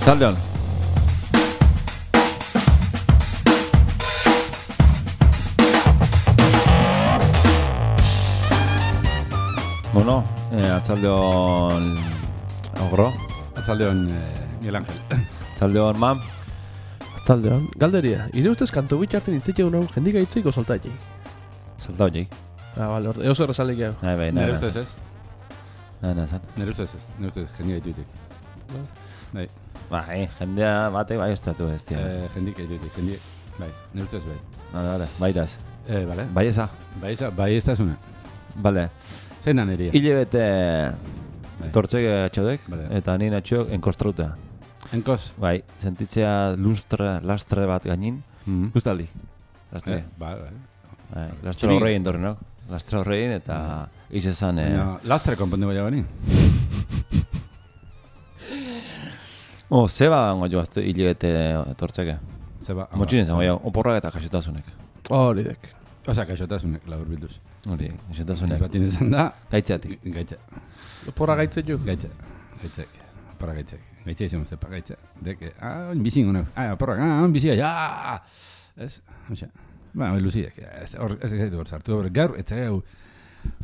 Zaldeon. Bueno, atzaldeon ogro. Atzaldeon Miguel Ángel. Atzaldeon mam. Atzaldeon. Galderia, ire ustez kantu bitxarten hitzik egun hau jendik aitzik o soltaitei? Soltautei. Vale, oso errazalik hau. Bai, Nere ustez ez? Nere ustez jendik aitutik. Bai. Bai, jendea batek bai estatu ez, tia. Jendik aitutik, jendik. Bai, nere ustez bai. Vale, baitaz. Vale. Bai eza. Bai ez da zuna. Vale. Zein da neria? Hile bete tortzek atxodek, Vale. eta nien atxok enkostrauta. Enkos? Bai, sentitzea lastre bat gainin. Gustaldi. Lastre. Bai. Lastre horrein dorri, no? Lastre horrein eta izan... Lastre konpondu bai bani? Zeba gango joazte hile bete tortzeke. Zeba. Motxinen zango jau, oporrak eta kaxotasunek. Hori dek. Osa, kaixotasunek, labur bilduz. Hori, Ez kaxotasunek. batin izan da... Gaitzeatik. Gaitze. Porra gaitze ju. Gaitzek. Porra gaitzek. Gaitze izan zepa, gaitze. Dek, oin bizin gona. Porrak, oin bizia, ja! Ez? Osa. Ba, oin luziek. Ez gaitu hor sartu. Gaur, ez gau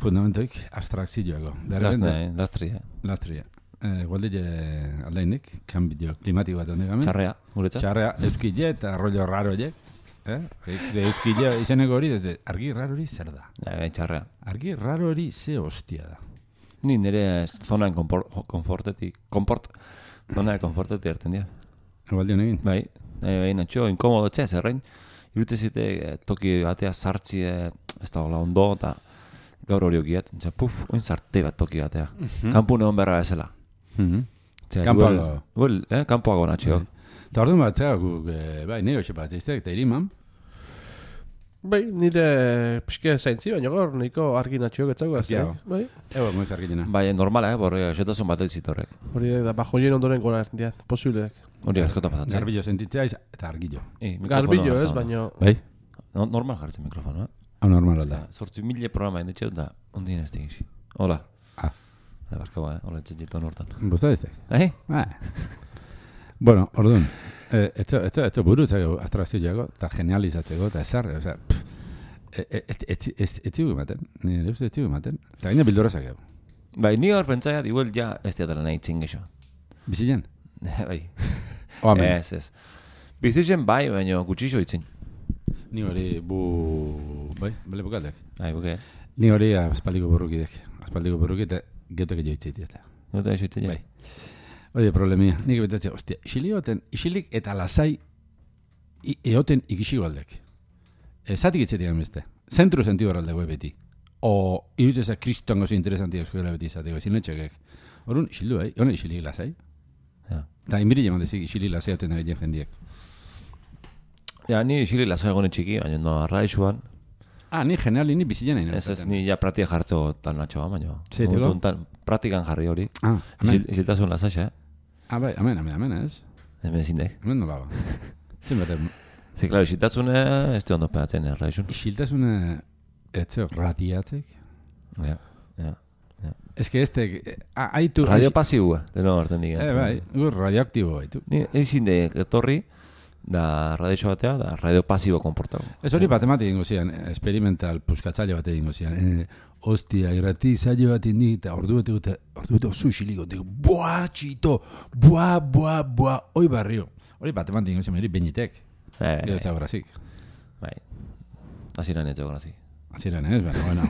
fundamentoik abstrakzioago. Lastria. Lastria. Gualdile aldainik, kanbio klimatiko bat ondik gamen. Txarrea, guretzat. Txarrea, euskile eta rollo raro je. Euskile izeneko hori, desde argi raro hori zer da? Txarrea. Argi raro hori ze hostia da. Ni nire zonan konfortetik erten dira. Gualdi honekin? Bai, natxo, inkomodo txez, errein. Irutezite toki batea sartzi ez da hola ondo, eta gaur hori okiet. Oin zarte bat toki batea. Kampu neon berra bezala. Kampoago. Kampoago natxo. Eta orduan bat zera guk, bai, nire hoxe bat zeiztek, eta iriman. Bai, nire pixke zaintzi, baina gaur nahiko argi natxio getzago Argiago. Bai. Ego, moiz argitena. Bai, normala, borre, xetasun bat zitorrek. Hori da, bajoien ondoren gora erdiat, posiblek. Hori askotan pasatzen. Garbillo sentitzea eta argillo. Garbillo ez, baina... Bai? Normal jartzen mikrofono, Hau normal da. 8.000 programa indetxeu da, ondien ez tegizi. Hola. Ah. Hola, barkaua, hola, etxetan hortan. Bosta diztek? Bai? Bueno, orduan, ez burutzeko abstrakzioago, eta genializatzeko, eta ezarre, osea, ez zigu ematen, nire uste ez zigu ematen, eta gaina bildorazak egu. Bai, ni hor pentsaiat, igual ja ez diatela nahi txingexo. Bizilen? Bai. Oamen. Ez. Bizitzen bai, baina gutxixo itzin. Ni hori bai, bale bukaldek. Bai, buke. Ni hori aspaldiko borrukidek, eta geotek joitzeit. Gota esoitzen ja. Bai. Oide, problemia. Nik betatzea, ostia, isilik eta lasai eoten ikisiko aldek. Zatik itzetik amezte. Zentru sentidu horraldego beti. O irutzeza kristoan gozo interesantia eskuela beti izateko, zinetxekek. Horun, isildu, hone isilik lasai. Ja. Eta inbiri jaman dezik isilik lasai eoten da gehien jendiek. Ja, ni isilik lasai gone txiki, baina no arraixuan. Ni geniali, ni bizitzen nahi. Ez, ni ja pratia jartzeko tal natxoa, baina. Zeiteko? Pratikan jarri hori. Amen. Isiltasun lasaxe, Bai, amen, ez? Hemen zindek. Amen nola ba. Zin bate. Ze, klaro, isiltasune ez du ondo pegatzen erraixun. Isiltasune etzeo radiatzek. Ja. Ez que haitu... Radio pasiua, deno hartzen digen. Bai, radioaktibo haitu. Ni ezin de etorri, da radio batea, da radio pasibo konportago. Ez hori bat ematik ingo zian, experimental puskatzaile bat ingo zian. Hostia, irrati zailo bat indik, eta ordu bete oso isiliko, boa, txito, boa, oi barrio. Hori bat ematik ingo zian, hori beñitek. Gero ez agorazik. Bai, aziran ez agorazik. Aziran ez, bueno.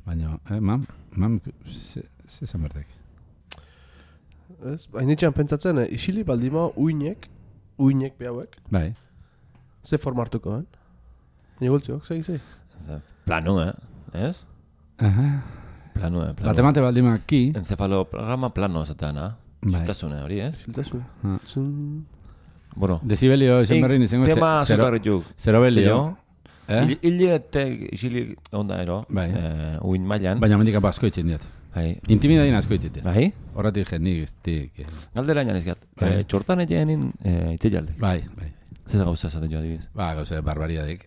Baina, mam, ze zanbertek. Ez, hainitxean pentsatzen, isili baldima uinek behauek, Bai. ze formartuko, Baina gultziok, zei. Plano, ez? Plano. Batemate baldima ki. Encefaloprograma plano esatean, Bai. Siltasune hori, ez? Siltasune. Bueno. Decibelio izan berrin izango tema zukarrituk. Zerobelio. Hilete isilik onda ero, Bai. uin mailan. Baina mendik asko itzen diat. Bai. Intimidadien asko itzen diat. Bai? Horratik jendik iztik. Galdera inan izgat. Bai. Txortan egin itze jaldek. Bai. Zeza gauza esaten jo adibiz. Gauza barbariadek.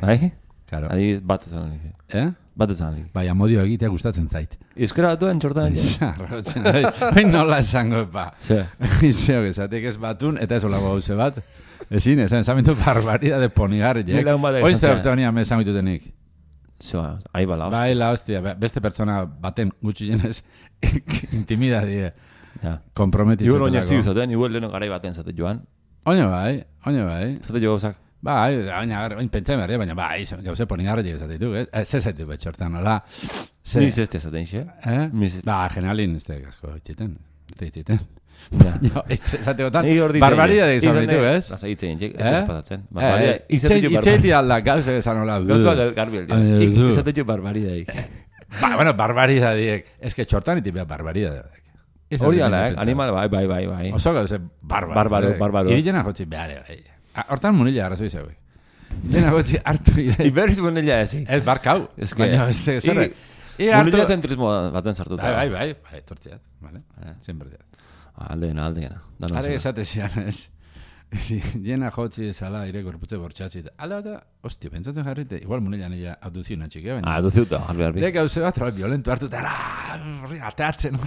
Bai? Claro. Adibiz bat esan nik. Bat ezan alik. Bai, amodio egitea gustatzen zait. Euskara batuen txortan. Zarrotzen, bai, nola esango, ba. Ze. Zeok, esatek ez batun, eta ez olago hauze bat. Ezin, esamentu barbaridade ponigarriek. Ni lagun batek Oizte esan hortzean me esan bitutenik. Zoa, ahi bala, hostia. Bai, la hostia, beste pertsona baten gutxi jenez intimidadie Ja. komprometitzen. Igual oinak zidu zaten, igual leheno garai baten zate joan. Oina bai. Zate jo gauzak. Bai, oin pentsa berria, baina bai, gauze ponigarriek esatetu, ez zaitu betxortan, nola. Ni zeste zaten, xe? Ni zeste. Ba, generalin, ez gasko itxiten. Ja. Esateotan, Ni hor ditzen. barbaridade izan ditu, ez? Lasa hitzen, ez espatatzen. Barbaridade. Itzeiti alda, gauze esan hola. Gauza garbi el izate jo barbaridade. Ba, bueno, barbaridadiek. Ez que txortan iti beha barbaridadiek. Hori ala, animal, bai. Oso gauze barbaro. Barbaro. Irilena jotzi behare, bai. Hortan munila arrazoi zeuek. Dena gotzi hartu ire. Iberriz munila ezi. Ez barkau. Baina, ez zerre. Munila zentrismo baten sartuta. Bai, tortziat. Vale? Siempre diat. Aldena. Are esate zian, ez. Diena jotzi ezala ire gorputze bortxatzi. Alda bata, hostia, pentsatzen jarrite, igual munila nila abduzio natxik, baina. Abduziuta, harbi. De gauze bat, violento hartu, eta ateatzen,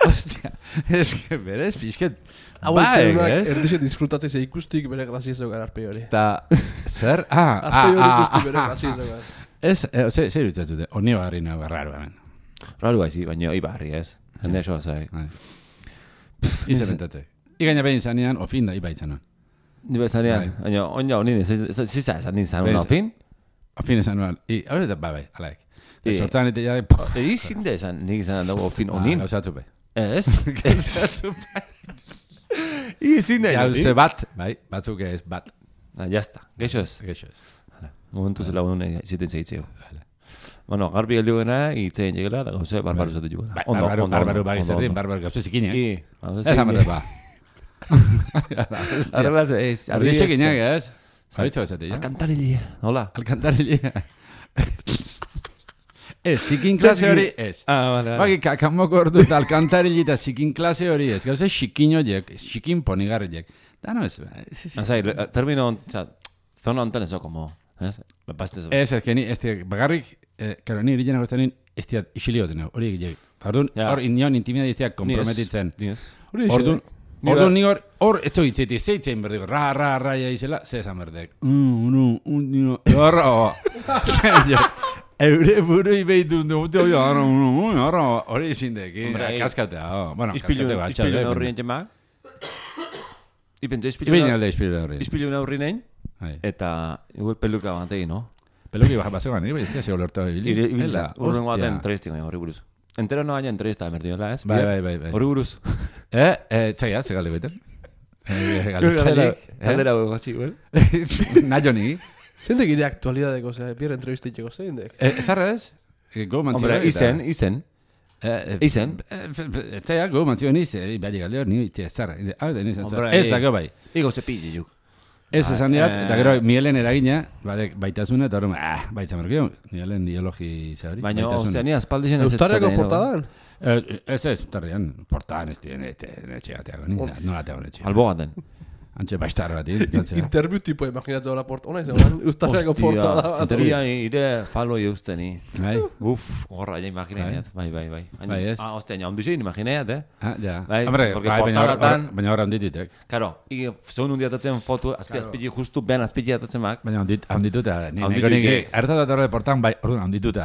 hostia, ez que berez, pixket, Erdixe disfrutatzei ze ikustik bere graziezo gara arpei hori. Ta, zer? Arpei hori ikustik bere graziezo gara. Ez, zer irutzatute, honi barri nago, raro hemen. Raro haizi, baina ibarri ez. Hende eso zai. Ize bentatzek. Igaina behin zanean, ofin da, iba itzanon. Ni bezanean, baina onja honi, ziza esan nintzen, ofin? Ofin esan nuan, hori eta bai, alaik. Sortan eta jade, Izin da esan, nik izan dago ofin onin. Gauzatu bai. Ez? Gauzatu bai. Izin da. Gauze bat, bai, batzuk ez bat. Jazta, geixo ez. Geixo ez. Momentu zela unune ziten zeitzeo. Bueno, garbi heldu gena, itzen llegela, da gauze barbaru zate jugela. Barbaru bai, zer din, barbaru gauze zikineak. Ez amarte ba. Arreglaz ez. Ardixe gineak ez. Zaritzo ez ja? Alkantarillia. Hola. Alkantarillia. Ez, zikin klase hori ez. Vale. Baki, kakamoko ordu eta alkantarilli eta zikin klase hori ez. Gauze xikin horiek, xikin ponigarriek. Da no ez. Azai, termino, zona ontan eso, como... Ez, que ni, bagarrik, karo, ni irillena goztanin, ez diat isilio dena, hori egilek. Hor, inion intimidad ez diat komprometitzen. Orduan ni hor, ez zoitzeti, zeitzen berdeko, ra, ja izela, zezan berdek. Horro, eure burui behitu, hori izindek, kaskautea, bueno, kaskautea bat. Ispilu naurrien txema? Ispilu naurrien egin? Eta igual peluka bat egin, no? Peluki bazegoan, ez da, zego lortu ibili. Urrengo baten entrevistik baina horri buruz. Entero no baina entrevista berdinola, ez? Bai. Horri buruz. Txaiat, ze galde goiten. Galdera gotxi, igual. Naio ni. Zendek ire aktualidadeko, bier entrevistitxeko zendek? Ezarra ez? Hombre, izen. Izen. Txaiat, go mantzio niz, bali galde hor, ni ezarra. Ez da go bai. Igo zepilli juk. Ez esan diat, eta gero Mielen eragina, baitasuna, eta hori, baitzamarkio, Mielen ideologi zehori. Baina, ostia, ni aspaldixen ez Eustarriako portadan? Ez, portadan, portadan ez dien, etxegateago, nolateago etxe. Albogaten. Antxe bastar bat, Interview tipo, imaginatu hori porta, ona izan, Eustarriako portada bat. Interview ire falo eusteni. Bai? Gorra, ja imagineat, bai. Bai, ez? Ostia, ja, ondixein imagineat, Ja. Bai, baina hor handitutek. Karo, zeun hundiatatzen foto, azpili justu ben azpili atatzen mak. Baina handituta, niko nik, hartatat horre portan, bai, orduan handituta,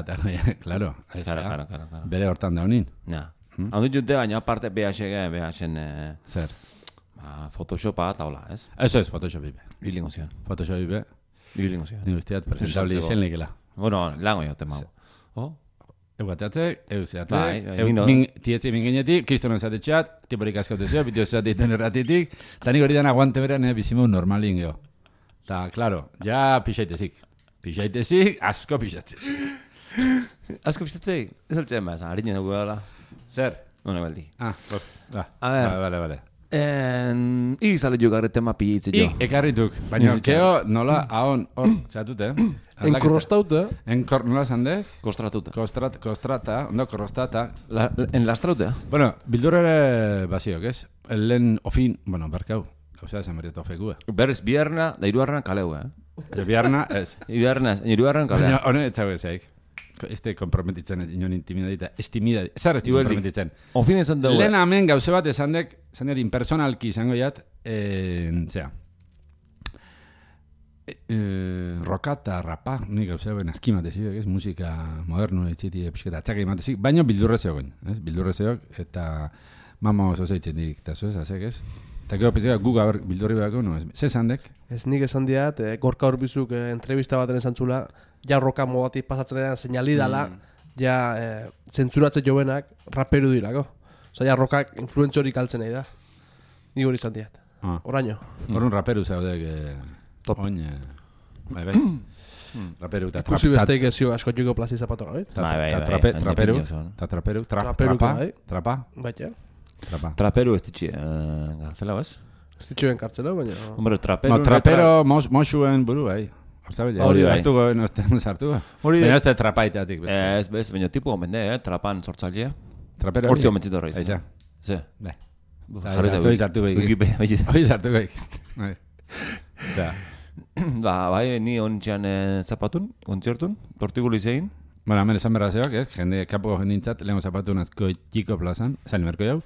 klaro. Karo. Bere hortan da honin. Ja. Handitute, baina aparte BHen... Zer? Photoshopa eta hola, ez? Ez, Photoshop ibe. Bilingo zion. Photoshop ibe. Bilingo zion. Ni guztiat presentabli izen likela. Bueno, lango jo tema. Eguateatzek, euseatek, Bai, tietzi minginetik, kristonon zatetxeat, tiporik askote zeo, bitio zateiten erratitik, eta nik hori dan aguante beran bizimau normalin geho. Ta, klaro, ja pixaitezik. Asko pixatzez. Asko pixatzei? Ez altzen behaz, harinen dugu dala. Zer? Nune baldi. A ver. Vale. Izale jugarre tema pillitze jo. Ekarrituk, baina keo nola ahon hor, zeatute, Enkrostauta. Nola zande? Kostratuta. Kostrata, ondo korostata. Enlastrauta. Bueno, bildurare baziok, ez? Lehen ofin, bueno, barkau, gauzea esan berrieta ofekua. Berriz, bierna, da iruarran kaleu, Biarna, ez. Iruarran kaleu. Baina, hone, etzago ezaik. Este komprometitzen ez inon intimidadita, zer ez komprometitzen. Ofin esan dugu. Lehen hemen gauze bat esan dek impersonalki izango jat, zera, roka eta rapa, nik gauze ben askimat ezidek, ez, musika modernu etziti pixketa atzaka imatezik, baino bildurre zegoen, ez, bildurre zegoen, eta mamo zozeitzen dik, eta zoez, azek, ez? Eta gero pizika gu gaber bildurri behako, no, ez, ze esan dek? Ez nik esan diat, Gorka Urbizuk entrevista baten esan zula, ja roka modatik pasatzen edan seinali dala, ja zentzuratze jovenak raperu dirako. Osa, ja rokak influentzorik altzen nahi da. Ni hori izan diat. Oraino. Horren raperu zaudek, oin, bai. Raperu eta ikusi besteik ezio asko jugo plazi zapato gabe. Traperu, trapa. Baita. Traperu ez ditxi, gartzela, ez? Ez ditxuen kartzela, baina... Hombre, traperu... Trapero mosuen buru, bai. Hori zartuko, no zartuko. Baina ez da trapaitatik. Ez, baina tipu gomende, trapan sortzailea. Trapero horti gomentzito horreiz. Aiza. Ze? Bai. Hori zartuko ik. Hori zartuko ik. Bai, ni ontzian zapatun, kontzertun, tortiguli zein. Bueno, hemen esan berra zeok, ez? Jende, kapoko jendintzat, lehenko zapatun azko txiko plazan, zain merko jau.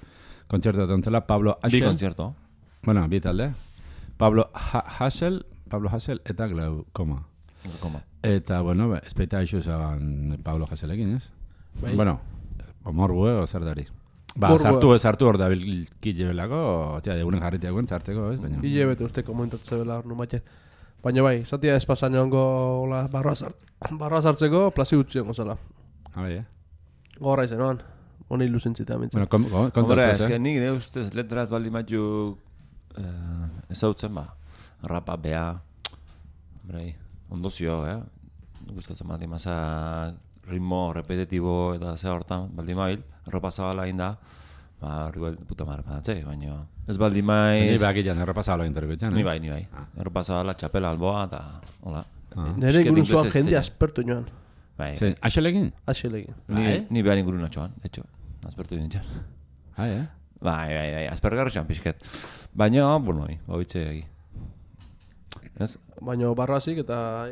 Kontzertu atontzela, Pablo Hassel. Bi kontzerto. Bueno, bi talde. Pablo Hassel eta Glaukoma. Eta, bueno, espeita eixo zaban Pablo Hasselekin, ez? Bai. Bueno, morbu o zer dari. Sartu hor da bilkit jebelako, degunen jarritiakoen sartzeko, ez? Hile bete uste komentatze bela hor numatzen. Baina bai, zatia espazan joango barroa sartzeko, plazi gutzion gozala. Bai, Gorra izan, oan. Hone ilusentzita amintzen. Bueno, Hombre, ez que nik ne ustez letraz baldi matu ezautzen ba. Rapa, bea, hombre, ondozio, gustatzen baldi maza ritmo repetitibo eta ze hortan baldi mail, ropa zabala inda, ba, horri puta marra padatzei, baina ez baldi maiz... Ni behak ilan, erropa zabala interriko etxan, Ni bai. Erropa zabala, txapela alboa, eta hola. Nere ingurun zoan jende aspertu joan. Bai. Axelegin? Axelegin. Ni behar ingurun atxoan, de hecho, aspertu dintzen. Bai, aspergarro txan pixket. Baina, bueno, baitze egi. Ez? Baina barroazik eta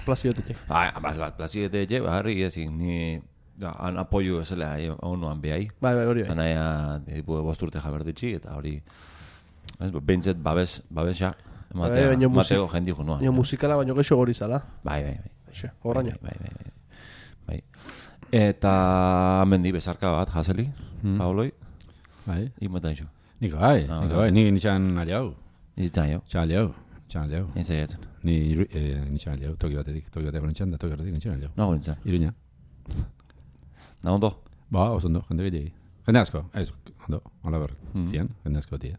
plazioetetxe. Plazioetetxe, harri ezin, ni... Han apoio ezela, honuan behai. Bai, hori bai. Zanaia, bosturte jaberditxi, eta hori... Behintzet babesa, mateo jendi junua. Baina musikala baino geixo gori zala. Bai. Horraino. Bai. Eta amendi bezarka bat, Haseli, Pauloi. Bai. Ikumetan iso. Niko bai, nik nitxan aliau. Izitzen jau. Txan aliau. Intzaiatzen. Ni nitxan aliau, toki bateko nitxan, da toki batetik nitxan aliau. Nago nintzen. Iruña. Na ondo? Ba, oso ondo, jende gehiagi. Jende asko, ez, ondo, hola berret, zian, jende asko tia.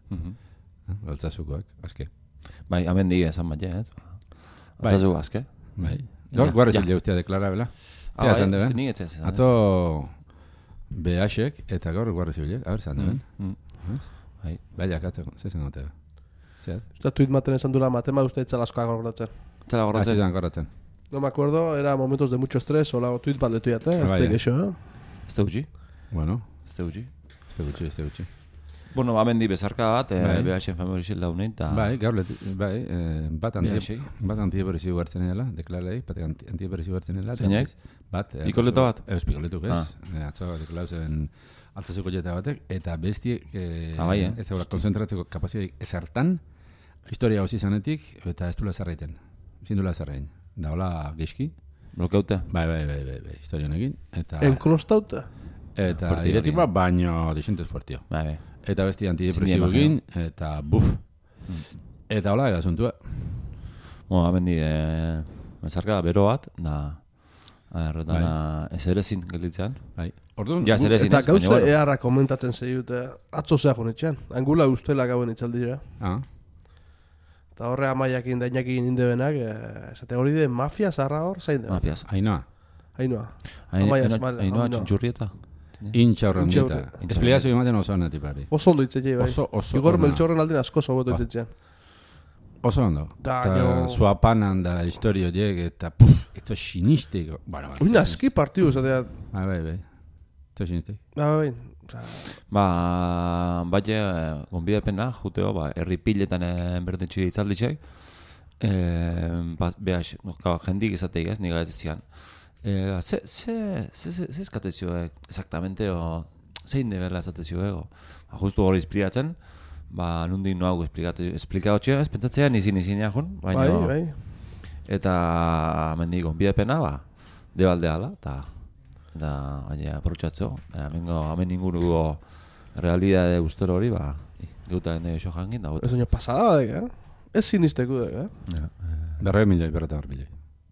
Altzazukoak, aske. Bai, amendi esan bat, ez? Altzazuko aske. Bai. Guarra zilde guztia deklara, bela? Zia zan deben? Ni etzez. Ato BH-ek eta gaur guarra zilde, a ber zan deben? Bai, jakatzeko, zezen gote. Usta tuit maten esan dura matema uste etzala askoak gorratzen. Etzala gorratzen. No me acuerdo, era momentos de mucho estrés, o la tuit bat letu jate, ez teik eixo, Este gutxi? Bueno. Este gutxi. Bueno, amendi bezarka bat, BH-en famorixil daunein, eta... Bai, gaur letu, bat antieberezi guartzen edela, deklarei, bat antieberezi guartzen edela. Zeinak? Bat. Pikoleto bat? Ez, pikoletuk ez. Atzo deklarauzen altzazuko jeta batek, eta bestiek, ez da konzentratzeko kapazidadik ezartan, historia hozi zanetik, eta ez dula zarraiten. Zindula zarrain. Da hola geizki. Blokeute? Bai, historia honekin. Enkrostauta? Eta diretipa baino disentez fuertio. Bai. Eta besti antidepresibo egin, eta buf. Eta hola, ega zuntua. Amendi, bezarka bero bat, da... Ezerezin gelitzean. Bai. Orduan, eta gauza eharra komentatzen zeiute, atzo zeak honetxean. Angula ustela gauen itzaldira. Eta horre amaiakin dainakin indebenak, esate hori de mafia zarra hor, zain da? Mafiaz. Ainoa. Ainoa txintxurrieta. Intxa horren dieta. Esplikazio ematen oso hona tipari. Oso ondo itzei, bai. Oso Igor Meltxorren aldin asko zobotu itzetzean. Oso ondo. Eta zuapanan da historio diek, eta eto sinistiko. Uina aski partidu zatea. Bai. Eto sinistiko. Bai. Baina, gonbidapena, juteo, herri piletan berdintxi itzalditxek, jendik izateik ez, niga ez zian. Ze eskatezioek, exactamente, o zein nivela eskatezioek, justu hori esplikatzen, nundi noago esplikatxea, ez pentsatzean izin jun, baina... Bai. Eta mendigo, bidepena, debaldeala, eta baina aprotxatzeo, hemen inguruko realidade ustero hori, geuta ende iso jangin da. Ez oino pasada, ez sinisteko, Berre milioi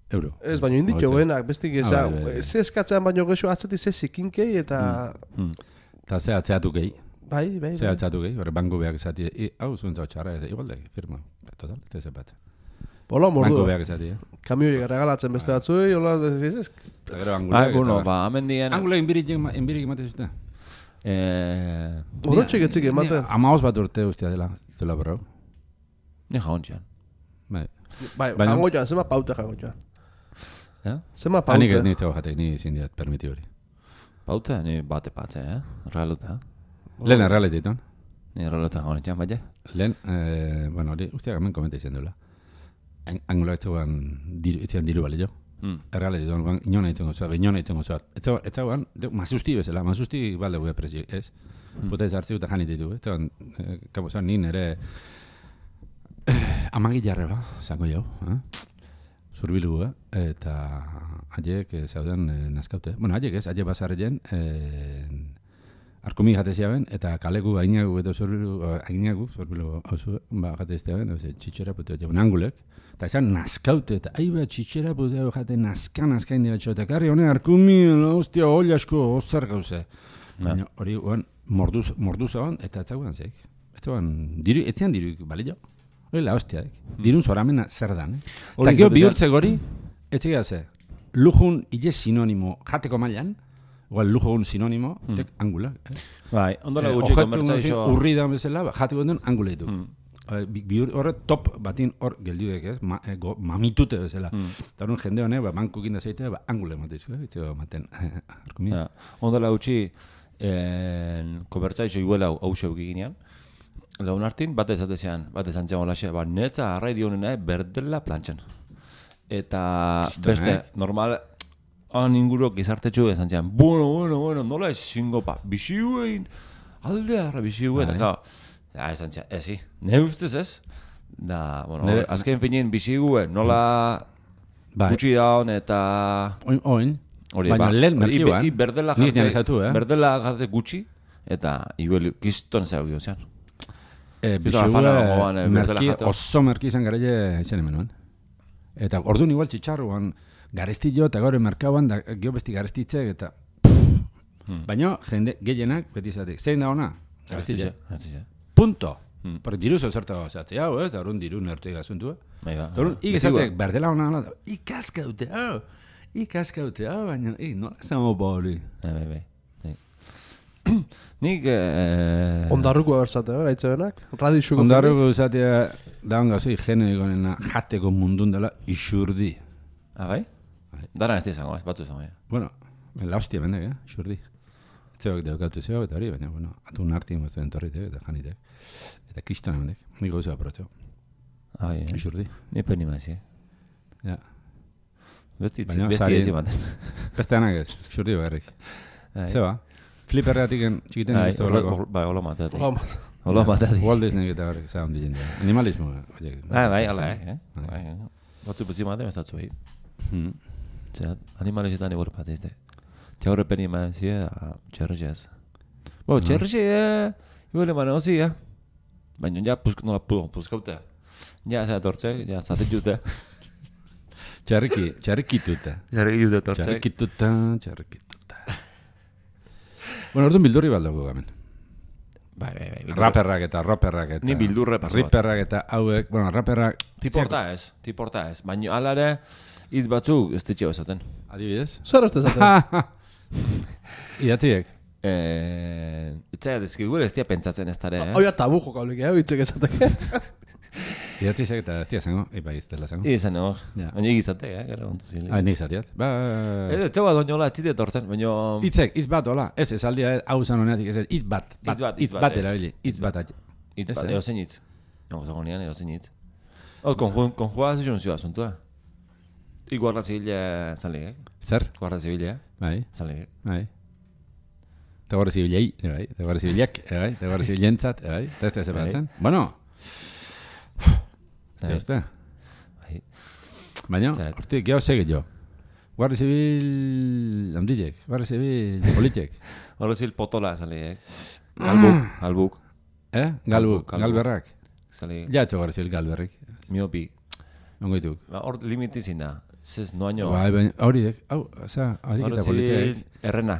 euro. Ez, baina inditio benak, bestik ze eskatzean baino gexo atzati ze zikinkei eta... Eta ze atzeatu gehi. Bai. Ze atzeatu gehi, hori banko behak esati, hau zuntza txarra, igualde, firma, total, ez zepat. Bola, mordu. Banko behak esati, Kamioik regalatzen beste batzui, hola, ez. Eta gero anguleak. Bueno, hemen dien... Anguleak enbirik emate zuten. Horotxik etzik ematen. Amaoz bat urte ustea dela borrau. Ni jagontxean. Bai, jango joan, zema paute jango joan. Zema paute. Hanik ez nintzeko jatek, ni zindiat, permiti hori. Paute, ni bate patze, realuta. Lehen realitetan. Ni realuta jagontxean, baina? Lehen, bueno, hori usteak hemen komenta izan duela. Anguleak etzean diru bali jo. Errealitetan, inona ditzen gozoat, Ez zegoan, mazusti bezala, mazusti balde gure presio, ez? Puta ez hartzi eta janit ditu, ez zegoan, kabosan nin ere... Amagi jarre zango jau, zurbilu, eta haiek zauden nazkaute. Bueno, haiek ez, haiek bazarren, arkumi jateziaben, eta kaleku ainagu eta zurbilu hauzu, jateziaben, txitxera puteo jaben angulek, eta ezan nazkaute, eta aiba txitxera puteo jate nazkain dira txo, eta karri honen arkumi, hostia, hoi asko, ozer gauze. Baina hori, mordu zaban, eta etzaguan zeik. Etzean diruik bali jo. Hori la hostia, dirun zoramena zer dan, Eta gero bihurtze gori, etxegia ze, lujun ile sinonimo jateko mailan, igual lujun sinonimo, tek angula. Bai, ondola gutxi konbertsaixo... Urri da bezala, jateko den angula ditu. Horre top batin hor geldiudek ez, mamitute bezala. Eta horren jende honek, bankukin da zeitea, angula emateizko, itzego ematen, arkumia. Ondola gutxi, konbertsaixo iguela hau xeuki ginean, Laun hartin, bat ezatezean olaxe, netza arrairi honena berdela plantxan. Eta beste, normal, inguruk gizartetxu esan zean, bueno, nola ezingo bixi guein, alde harra bixi guein, eta esan zean, ezi, ne ustez ez? Da, bueno, azken finien bixi guein, nola gutxi daun eta... Oin, baina lehen merkioan, berdela jate gutxi, eta iguel kiston zeu giozean. Merki, oso merki izan garaile izan hemen. Eta orduan igual txitxarruan garestillo eta gaur merkauan da geho besti garestitzek eta... Baina jende gehienak beti izatek, zein da ona? Garestillo. Punto. Porque diru zozerta zatzi hau, ez? Da orduan diru nertu egazuntu. Eta orduan ikizatek berdela ona, ikaskaute hau, baina nola zamo bori. Bai. Nik... Ondarruko abertzate, gaitze benak? Radixuko. Ondarruko izatea daun gauzei jene egonena jateko mundun dela isurdi. Bai? Dara ez izango, ez batzu izango. Bueno, la hostia bendek, isurdi. Etzeok deukatu zeo eta hori, baina, bueno, atun hartin gozten torritek eta janitek. Eta kristona bendek, nik gauza aprotzeo. Isurdi. Ni peni maiz, Ja. Besti ez imaten. Beste anak ez, isurdi bagarrik. Zeba? Fliperreatik txikiten ez da horreko. Bai, hola mateatik. Walt Disney eta horrek zaun dizen. Animalismo. Bai, ala, Batzu bezi maten ez datzu hi. Animalizetan igor bat ez de. Txaurre peni eman zi, txerrexez. Txerrexe, igual eman ozi, baina ja nola puzkaute. Ja, tortzek, ja, zaten jute. Txarrikituta. Txarrikituta. Bueno, orduan bildurri baldago gamen. Bai. Raperrak eta Ni bildurre paso. Riperrak eta hauek, bueno, raperrak... Tiporta ez. Baina alare, iz batzuk ez ditxeo esaten. Adibidez? Zer ez esaten? Idatziek? Etxaila dezkigur ez dia pentsatzen ez dara, Oia tabu jokaulik, bitxek esatek. Idatzizek eta ez dia zango, ipa iztela zango. Izango, baina egizate, gara kontu zilik. Nik izatiat. Ez txau bat oinola etxite tortzen, baina... Itzek, iz bat, hola. Ez aldia hau zan honeatik, ez iz bat. Iz bat erabili, iz bat. Iz bat, erozen hitz. Zago nian, erozen hitz. Konjua zizun zioa, zuntua. Guardia Zibila zale, Zer? Guardia Zibila, Bai, zale. bai. Eta Guardia Zibilei, bai. Eta Guardia Zibilak, bai. Eta Guardia Zibilentzat, bai. Eta ez da zepatzen. Bueno. Zer uste? Bai. Baina, Zet. hortik, geho sege jo. Guardia Zibil handilek, Guardia Zibil politek. Guardia Zibil Potola zale, Galbuk, Galbuk, Galbuk. galberrak. zale, Ja, etxo Guardia Zibil galberrik. miopi. Ongoituk. Hor limiti zin da, zez noaino. Bai, baina, hauridek, hau, oza, haurik Guardia eta politek. Zibil Errena.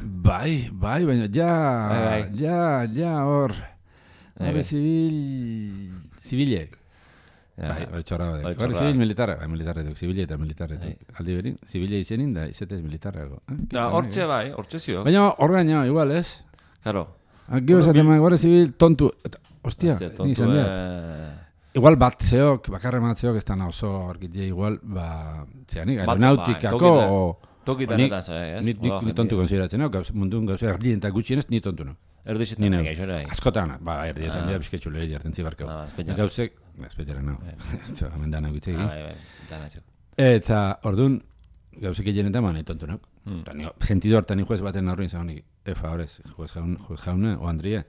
Bai, baina, Bai. ja, hor. Bai, Guardia bai. Zibilek. Ja. Bai, hori txorra badek. Hori Guardia txorra. Zibil militarra, bai, militarra duk, zibile eta militarra Bai. duk. Aldi berin, zibile izenin da, izetez militarrago. Hortxe bai, hortxe zio. Baina, horreina, igual, ez? Claro. Gero esaten bai, Guardia Zibil tontu. Ostia, Hostia, ni izan tontu, dira. Igual batzeok, bakarre matzeok ez da oso argitia igual, zeanik, Bat, aeronautikako, bai, o... Tokitan Ni- eta zai, ez? Ni tontu konsideratzen, no? Mundun gauza erdien eta gutxienez ni tontu, no? Ni Erdixetan neu. gaixora. Askotan, erdi esan dira bizketxu leri jartzen zibarkau. Espetxera. Gauzek, espetxera, no. Eta, hemen dana gutzegi. Bai, dana txok. Eta, orduan, gauzek egienetan, nahi tontu, no? Eta, sentido hartan ni juez baten aurrein zagonik, favorez, juez jauna, o Andrie,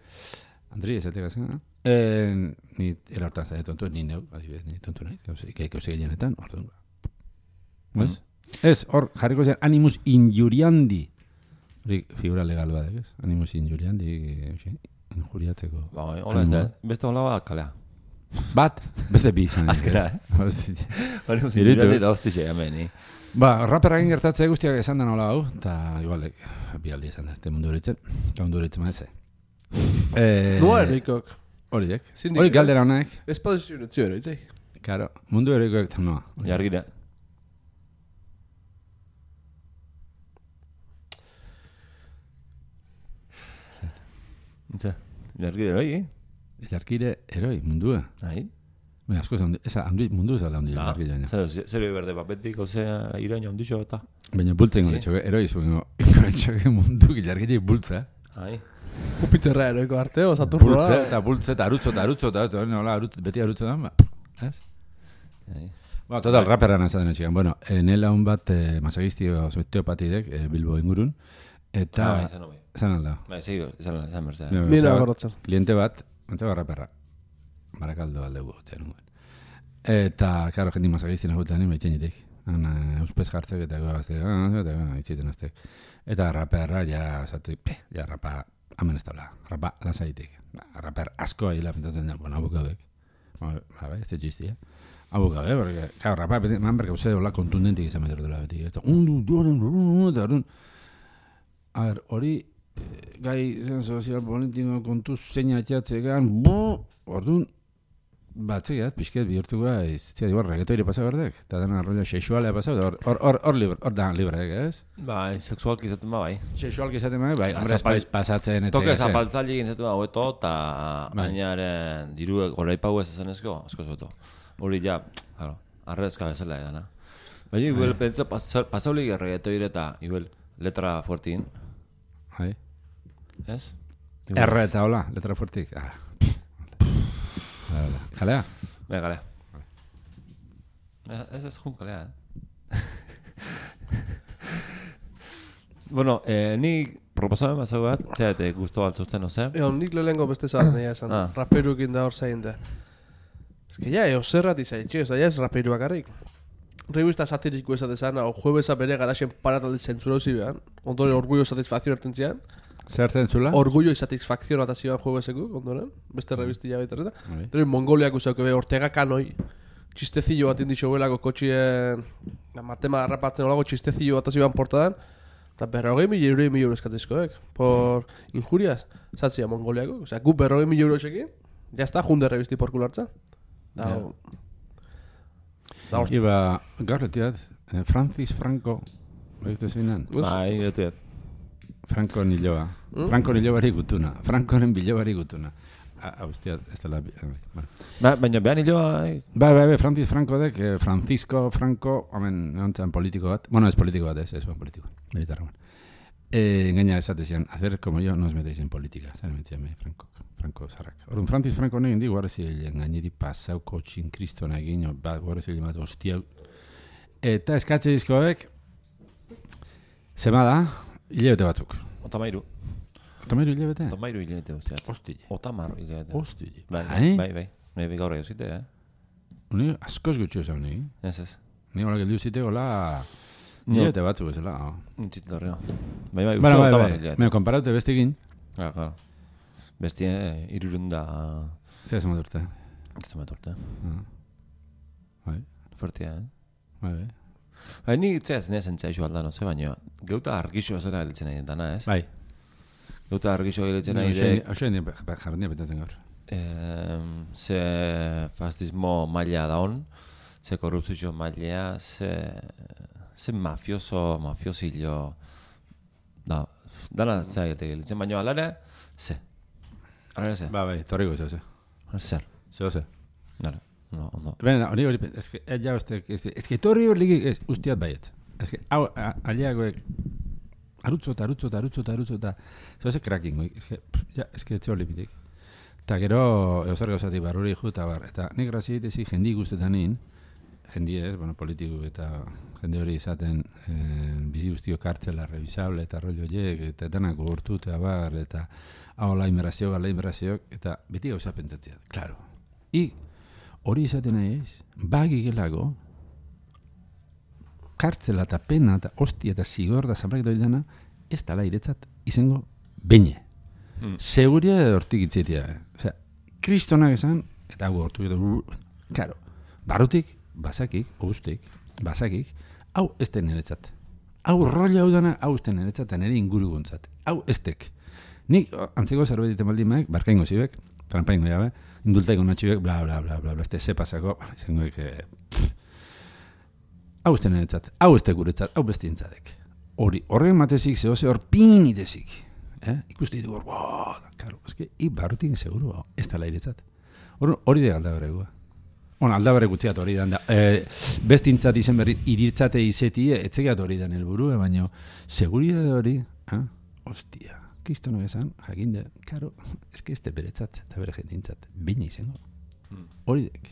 esatek azken, no? Ni erartan zaite tontu, ni neu, adibidez, ni tontu nahi, gauzek egienetan, orduan. Ez? Ez, hor, jarriko zen, animus injuriandi. Hori figura legal badek, ez? Animus injuriandi, injuriatzeko. Bai, hola ez da, beste hola bat kalea. Bat, beste bi izan. Azkera, Hostia. Hori Diritu. musikirati da hostixe, hemen, Ba, raperrakin gertatzea guztiak esan da nola hau, eta igualdek, bi aldi esan da, ez mundu horitzen, eta mundu horitzen maeze. Noa erikok. Horiek. Zindik, Hori galdera honek, Ez padezio netzio ero, itzai. karo, mundu horikoek eta noa. Jargira. Itza, jargira hori, Jarkire eroi, mundua. Nahi? Baina, asko zan, mundu ez da handi Da, jarkire baina. zer berde papetik, ozea, iraino handixo eta. Baina bultzen gore txoke, eroi zuen, gore txoke mundu jarkire bultza. Ai. Jupiterra eroiko arte, o Saturnoa. Bultze, eta arutzo, eta nola, beti arutzo da, ba. Ez? Ai. Bueno, total, raperra nazaten etxikan. Bueno, nela hon bat masagisti osteopatidek Bilbo ingurun, eta... Bai, zan hobi. Zan alda. Bai, seguro, zan berzea. Nina gorrotzen. Kliente bat, antzeko raperra. Barakaldo aldegu gotzen nuen. Eta, karo, jendi masagisti nahuetan nien baitxenitek. Euspez jartzek eta goaztek, eta itziten aztek. Eta raperra, ja rapa, hamen ez tabla, rapa lasaitik. Raper asko ahila, pentatzen da, bueno, abukabek. Bai, ez da txisti, Abukabek, porque, claro, rapa, man berka uste hola kontundentik izan meter dela beti. Ez da, eta orduan. A ver, hori, gai zen sozial politiko kontu zeina atxatzegan, orduan, batzegat, pixket bihurtuko ez, igual, reggaetoire pasa berdek, eta dena rollo sexualea pasa, hor da libre, ez? Bai, sexualki izaten ba, bai. Sexualki izaten bai, hombre, Zapal- espaiz pasatzen, Toke zapaltzaile egin zetu haueto, eta Bai. bainaren diruek goraipau ez ezenezko, asko zoto. Hori ja, claro, arrezka bezala edana. Baina, igual, pentsa, pasaulik erregetoire eta, igual, letra fuertin, Bai. ez? R eta hola, letra fuertik. Kalea? Bai, galea. Ez jun galea, Bueno, ni proposamen bat zau bat, txeate guztu altzuzten, oze? Nik lehenko beste zabat nahi esan, raperukin da hor zain da. Ez que ja, zerrat izaitxe, ez da, ja ez raperu bakarrik. Revista satiriko esatezan, o juebeza bere garaxen parataldi zentzura uzi behan, ondoren orgullo satisfakzion erten zian. Zertzen zula? Orgullo y satisfakzion atazioan juebezeko, ondoren, beste revistilla baita. Bai. Pero Mongoliak usauke be, Ortega Kanoi, txistezillo bat indixo belako kotxien, matema rapatzen olago txistezillo bat azioan portadan, eta 40.000 euro eskatizkoek, por injurias, zatzia Mongoliako, osea, gu 40.000 euro esekin, ya está, junde revisti por kulartza. Da, da hor, Iba, gaur letiat, Francis Franco, behizte zeinan? Bai, getuet. Franco Niloa. Franco Nilobari gutuna. Francoren bilobari gutuna. Hostia, ez dela... Bueno. Baina behan hiloa... Bai, Francis Franco dek, Francisco Franco, hemen, nontzan politiko bat. Bueno, ez politiko bat, ez politiko. Militarra. Gaina esatezian, hacer como yo no os metéis en política. Zer metziame, Franco Zarrak. Orduan, Francis Franco negin di, guarra zilean gaineri pasauko txin kristona egin, guarra zilean bat hostia. Eta eskatze dizkoek, zema da, hilabete batzuk. Otamairu. Otamairu hilabete? Otamairu hilabete guztiat. Hostile. Otamairu hilabete. Hostile. Bai, gaur egin zite, Uni, askoz gutxo esan nigi. Ez. Ni hola geldiu zite, hola, hilabete batzuk ezela. Nintzit dorreo. Bai, Bueno, me komparaute bestekin. Claro. Bestie, irurunda... Zer ez maturte. Ez maturte. Bai. Fuertia, Bai. Bai, ni itzea zen txaixo aldan, oze, baina geuta argixo zera gelitzen nahi dentana, ez? Bai. Geuta argixo gelitzen nahi dek... Oso jarrenia betatzen gaur. Ze fascismo maila daun, ze korrupzio maila, ze mafiosillo... Dana zera gelitzen, baina alare, ze. Alare ze. Bai, torriko ze. Zer. Ze. Dara. No, ondo. Bena, hori, es que torri hor ligi ustiat baiet. Es que, hau, aliagoek, arutzo eta, zoze cracking, es que etxeo limitik. Eta gero, euser gauzati barruri juta bar, eta nik grazi ditezi jendi guztetanin, jendi ez, bueno, politiku eta jende hori izaten bizi guztio kartzela, revisable, eta rollo horiek, eta denak gogortu eta bar, eta hau la inmerazioak, eta beti gauza pentsatzea, claro. Hori izaten nahi ez, bagigelago, kartzela eta pena eta hostia eta zigor da zabrak doi dena, ez tala iretzat izango beine. Seguria edo hortik itzetia. Osea, kristonak esan, eta hau hortu edo, claro, barrutik, bazakik, hau ez den niretzat. Hau roli hau dana, hau ez den niretzat, eta nire inguru gontzat. Hau ez tek. Nik, antzeko zerbait iten baldin maek, barkaingo zibek, trampaingo jabe, indultaiko natxibek, bla, este ze pasako, izango hau ez den niretzat, hau ez guretzat, hau besti entzadek. Horren matezik, zehose hor pinitezik. Ikuste ditu hor, karo, eske, barrutik seguru, ez tala iretzat. Hori de aldabarregua. Aldabarreg gutxiat hori dan da. Bestintzat izen berri, iritzate izeti, etzegat hori dan helburu, baina seguridade hori, hostia, kristono esan, jakinde, karo, eske ez beretzat, eta bere jendintzat, bine izango. Hori dek.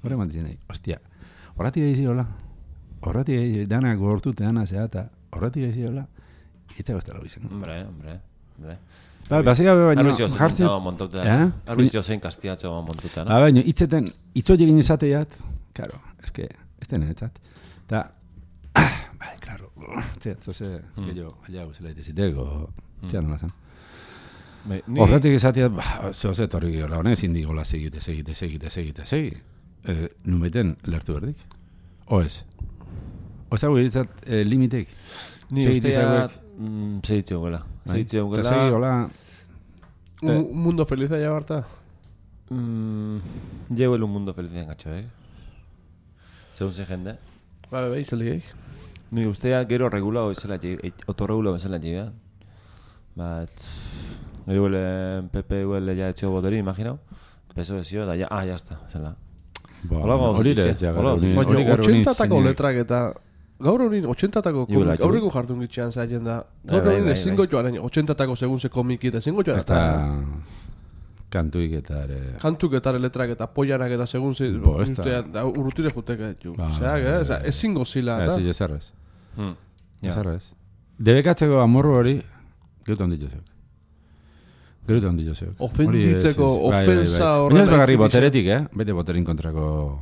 Horre mantizen nahi, hostia, horratik egizi hola, dana gortute, dana zehata, horratik egizi hola, iritzago ez tala izango. Hombre. Basika baina jartzen Arbizio zein kastiatxo montuta, no? Baina itzeten itzoiekin izateiat, claro, eske ez den etzat. Ta claro, zoze gehiago aliago zela iteziteko, txan nola zen. Horretik izateat, zoze torri gehiago, ezin digola segi. Numeten lertu berdik? Oez? Ozago iritzat limitek? Ni usteat segitzeo gela. Eta segi hola... Un mundo feliz allá, Barta? Llevo un mundo feliz engatxo, Según se jende. Bai, zeligeik. Ni usteat gero regulado bezala, otorregulado bezala llevea. Gero huele PP huele ya hecho boteri, imagino. Peso desio, da ya, ya está, zela. Hori lez, ja, baina 80-tako letrak eta... Gaur horin 80-tako komik, aurreko jartun gitxean zaien da. Gaur horin ezingo joan, 80-tako segun ze komiki eta ezingo joan. Eta kantuik eta ere... Kantuk eta letrak eta poianak eta segun ze... Urrutire juteke ditu. Ezingo zila. Ez arrez. Debekatzeko amorru hori, geutan dituzek. Ofenditzeko, ofensa horrela... Ez bagarri boteretik, bete boterin kontrako...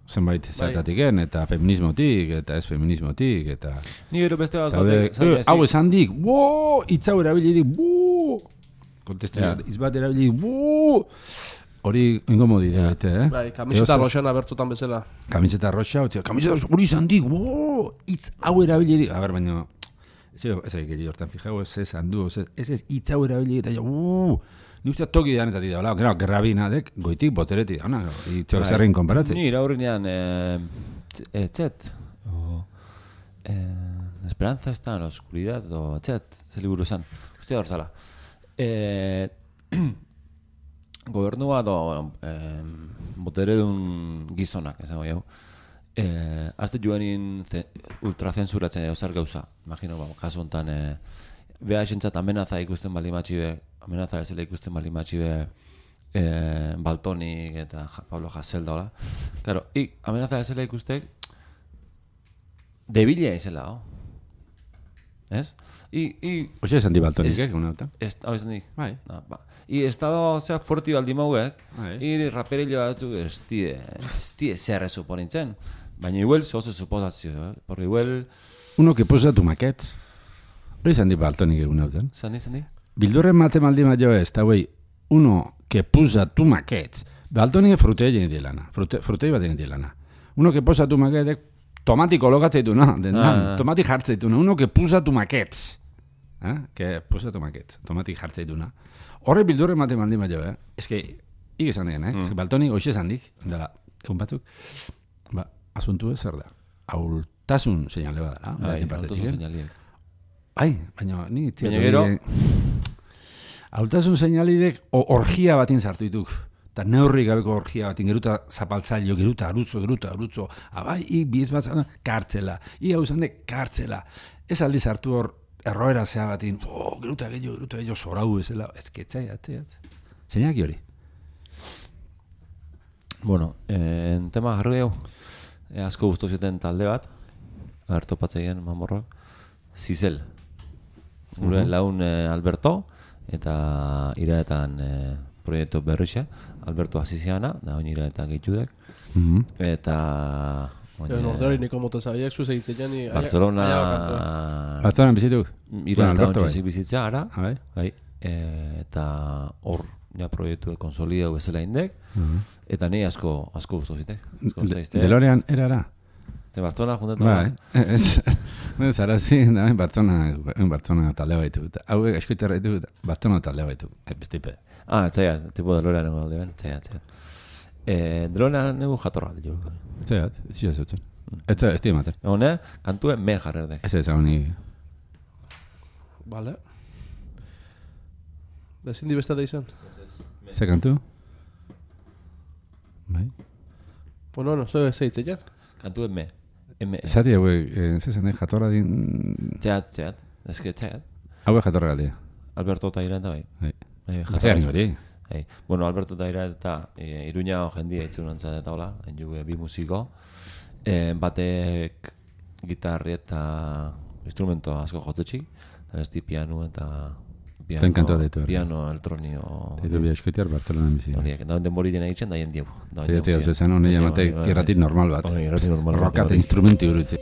zenbait zertatiken, eta feminismotik, eta ez feminismotik, eta... Ni gero beste bat hau esan dik, itzau erabilidik, kontestu, izbat erabilidik, hori ingomodi da, kamiseta roxana bertutan bezala. Kamiseta roxa, hori izan dik, itzau erabilidik, a ber, baina, ez egin hortan fijau, ez esan du, ez itzau erabilidik, eta ni usteat toki danetatik da, gero, grabinadek, goitik boteretik, itxo zerrein konparatzen. Ni iraurrinean, txet, la esperanza está en la oscuridad, txet, ze liburu esan, ustea hor zala. Gobernua, botere dun gizonak, esango jau, azte joanin ultrazensuratzen edo zer gauza, imagino, kasu honetan, beha esentzat amenaza ikusten balimatxibe, amenaza ezela ikusten balimatxibe Baltonik eta Pablo Hasél daola. Claro, amenaza ezela ikustek debila izela, ¿ez? Oxe esan di Baltonik, una auta. Hau esan di? Bai. I estado, osea, fuerti baldi mauek, Bai. i raperillo batzuk ez die zer suponintzen. Baina igual oso suposazio, porque igual... Uno que posa tu maquets. Hori esan di Baltonik egun autan. Zandi? Bildurren mate maldi maio ez, eta güey, uno que posa tu maquets. Baltonik frutei egin dilana. Frutei bat egin dilana. Uno que posa tu maquets, tomati kologatzeituna, tomati jartzeituna. Uno que posa tu maquets. Que posa tu maquets. Tomati jartzeituna. Horre bildurren mate maldi maio, Ez que, esan digen, Ez que Baltonik hoxe esan dik, dela, egun batzuk, asuntu ez zer da. Aultasun seinale badara. Bai, aultasun seinaliek. Baina, ni... Baina gero... Aultasun seinalidek orgia batin sartu dituk. Eta neurri gabeko orgia batin, geruta zapaltzailo, geruta arutzo. Abai, biz batzana, kartzela. Hau izan de, kartzela. Ez aldi sartu hor, erroera zea batin, geruta gehiago, zorau ezela. Ez ketzai, Zeinaki hori? Bueno, en tema jarri hau, asko guztu zuten talde bat, hartopatzeien mamorroak, Zizel. Gure laun Alberto, eta iraetan proiektu berrixe, Alberto Aziziana, da hori iraetan gehitudek, eta... Nordari niko moten zabiak, zuz egitzen ni... Bartzelonan bizituk? Iraetan ontzizik bizitza, ara, bai. Eta hor, ja proiektu konsolidau bezala indek, eta ni asko guztu zitek. Delorean erara? Te Bartzona juntetan? Bai, zarazi, Bartzona talde baitu. Hauek askoiterra ditu, Bartzona talde baitu. Bestipe. Txaia, tipo Delorean nego alde ben, txaia. Delorean nego jatorra alde jo. Txaia, ez zio zeutzen. Ez di ematen. Hone, kantue me jarrerde. Ez honi... Vale. Da ezin di besta da izan? Ze kantu? Bai. Bueno, zo zeitzen jan? Kantu me. Zati hauek, zezen jatorra din... Txeat. Ezke txeat. Hauek jatorra galdia. Alberto eta Irata bai. Zean hori. Bueno, Alberto eta Irata Iruña jendia itzunantzat eta hola, enjugu bi musiko. Batek gitarri eta instrumento asko jotetxik. Eta besti piano eta... Piano elektronio... Teitu bi eskoitiar Bartzelonan bizi. Horiek, da honden bori dena egiten, da jendiago. Zaiatzea, zen honi jamate irratit normal bat. Rokate instrumenti urutzi.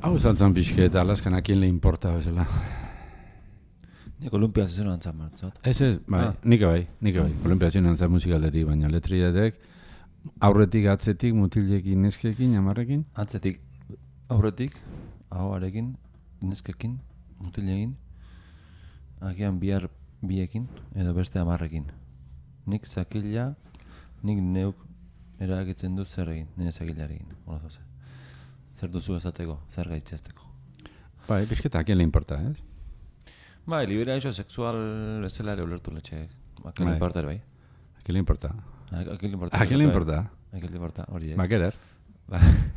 Hau zantzan pixke eta Alaskan akien le importa bezala. Nik Olimpiaz izan antzan martzat. Ez, bai, nik bai. Olimpiaz izan antzan musikaldetik, baina letriatek aurretik, atzetik, mutilekin, neskekin, amarrekin. Atzetik, aurretik, ahoarekin, neskekin, mutilekin, agian biekin, edo beste 10ekin. Nik zakila, nik neuk erakitzen dut zer egin, nire zakilarekin. Zer duzu esateko, zer gaitzesteko. Bai, pixketa akien le importa, ez? Bai, liberazio sexual bezala ere ulertu letxeek. Akien le importa ere bai. Akien le importa. Akien le importa. Akien le importa. Akien le importa, hori. Ba, querer.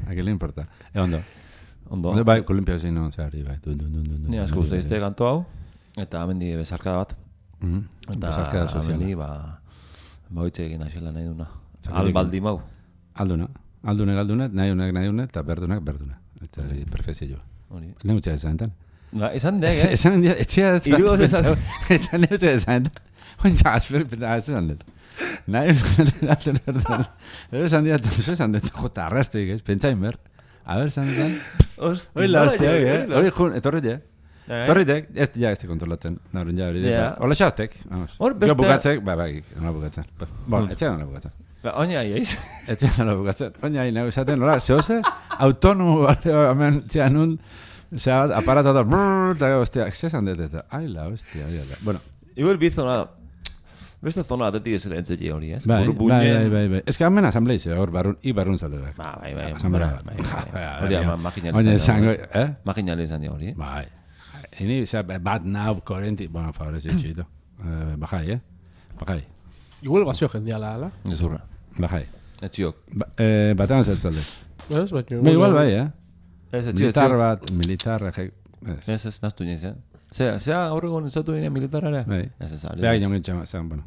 Akien le importa. Ondo. Ondo. Bai, Olimpia zein non zehari, bai. Ni asko usteizte kanto hau, eta amendi bezarkada bat. Eta amendi, hoitze egin aixela nahi duna. Albaldi mau. Aldunek, nahi unek, eta berdunak. Eta perfezioa. Hori. Neutxa esan enten. Esan dek, eh? Esan dek, etxea ez Irugoz esan. Eta neutxa esan enten. Oina, esan dek. Nahi unek, esan dek, jota arrastik, ez? Pentsain ber. A ver, esan dek. Oila, hostia, hori jun, etorritek. Torritek, ez te kontrolatzen. Naurun ja hori. Ola xaztek. Hor beste... Jo bukatzek, bai, nola bukatzen. Etxea nola bukatzen. Oina aiz. Etxea nola bukatzen. Oina ahi, nago esaten, nola, zehose, autonomo, hemen, txea nun, zea, aparata da, eta, hostia, zesan dut, eta, aila, hostia, bueno. Igual bi zona, beste zona atetik ez ere entzeki hori, ez? Bai. Ez que hamen asambleize, hor, barrun zalde. Bai. Hori, makinali izan di hori. Bai. Ini, zea, bat nau, korenti, bueno, favorez, etxito. Bajai. Igual bazio jendeala, ala? Ezurra. Bajai. Etxiok. Batean zertzalde. Ez, baina... Igual bai, Militar bat, militar, ez, naztu niz, eh? Zea aurregon izatu dine militarare? Bai. Ez, ari. Beha ginen txama, zean, bueno.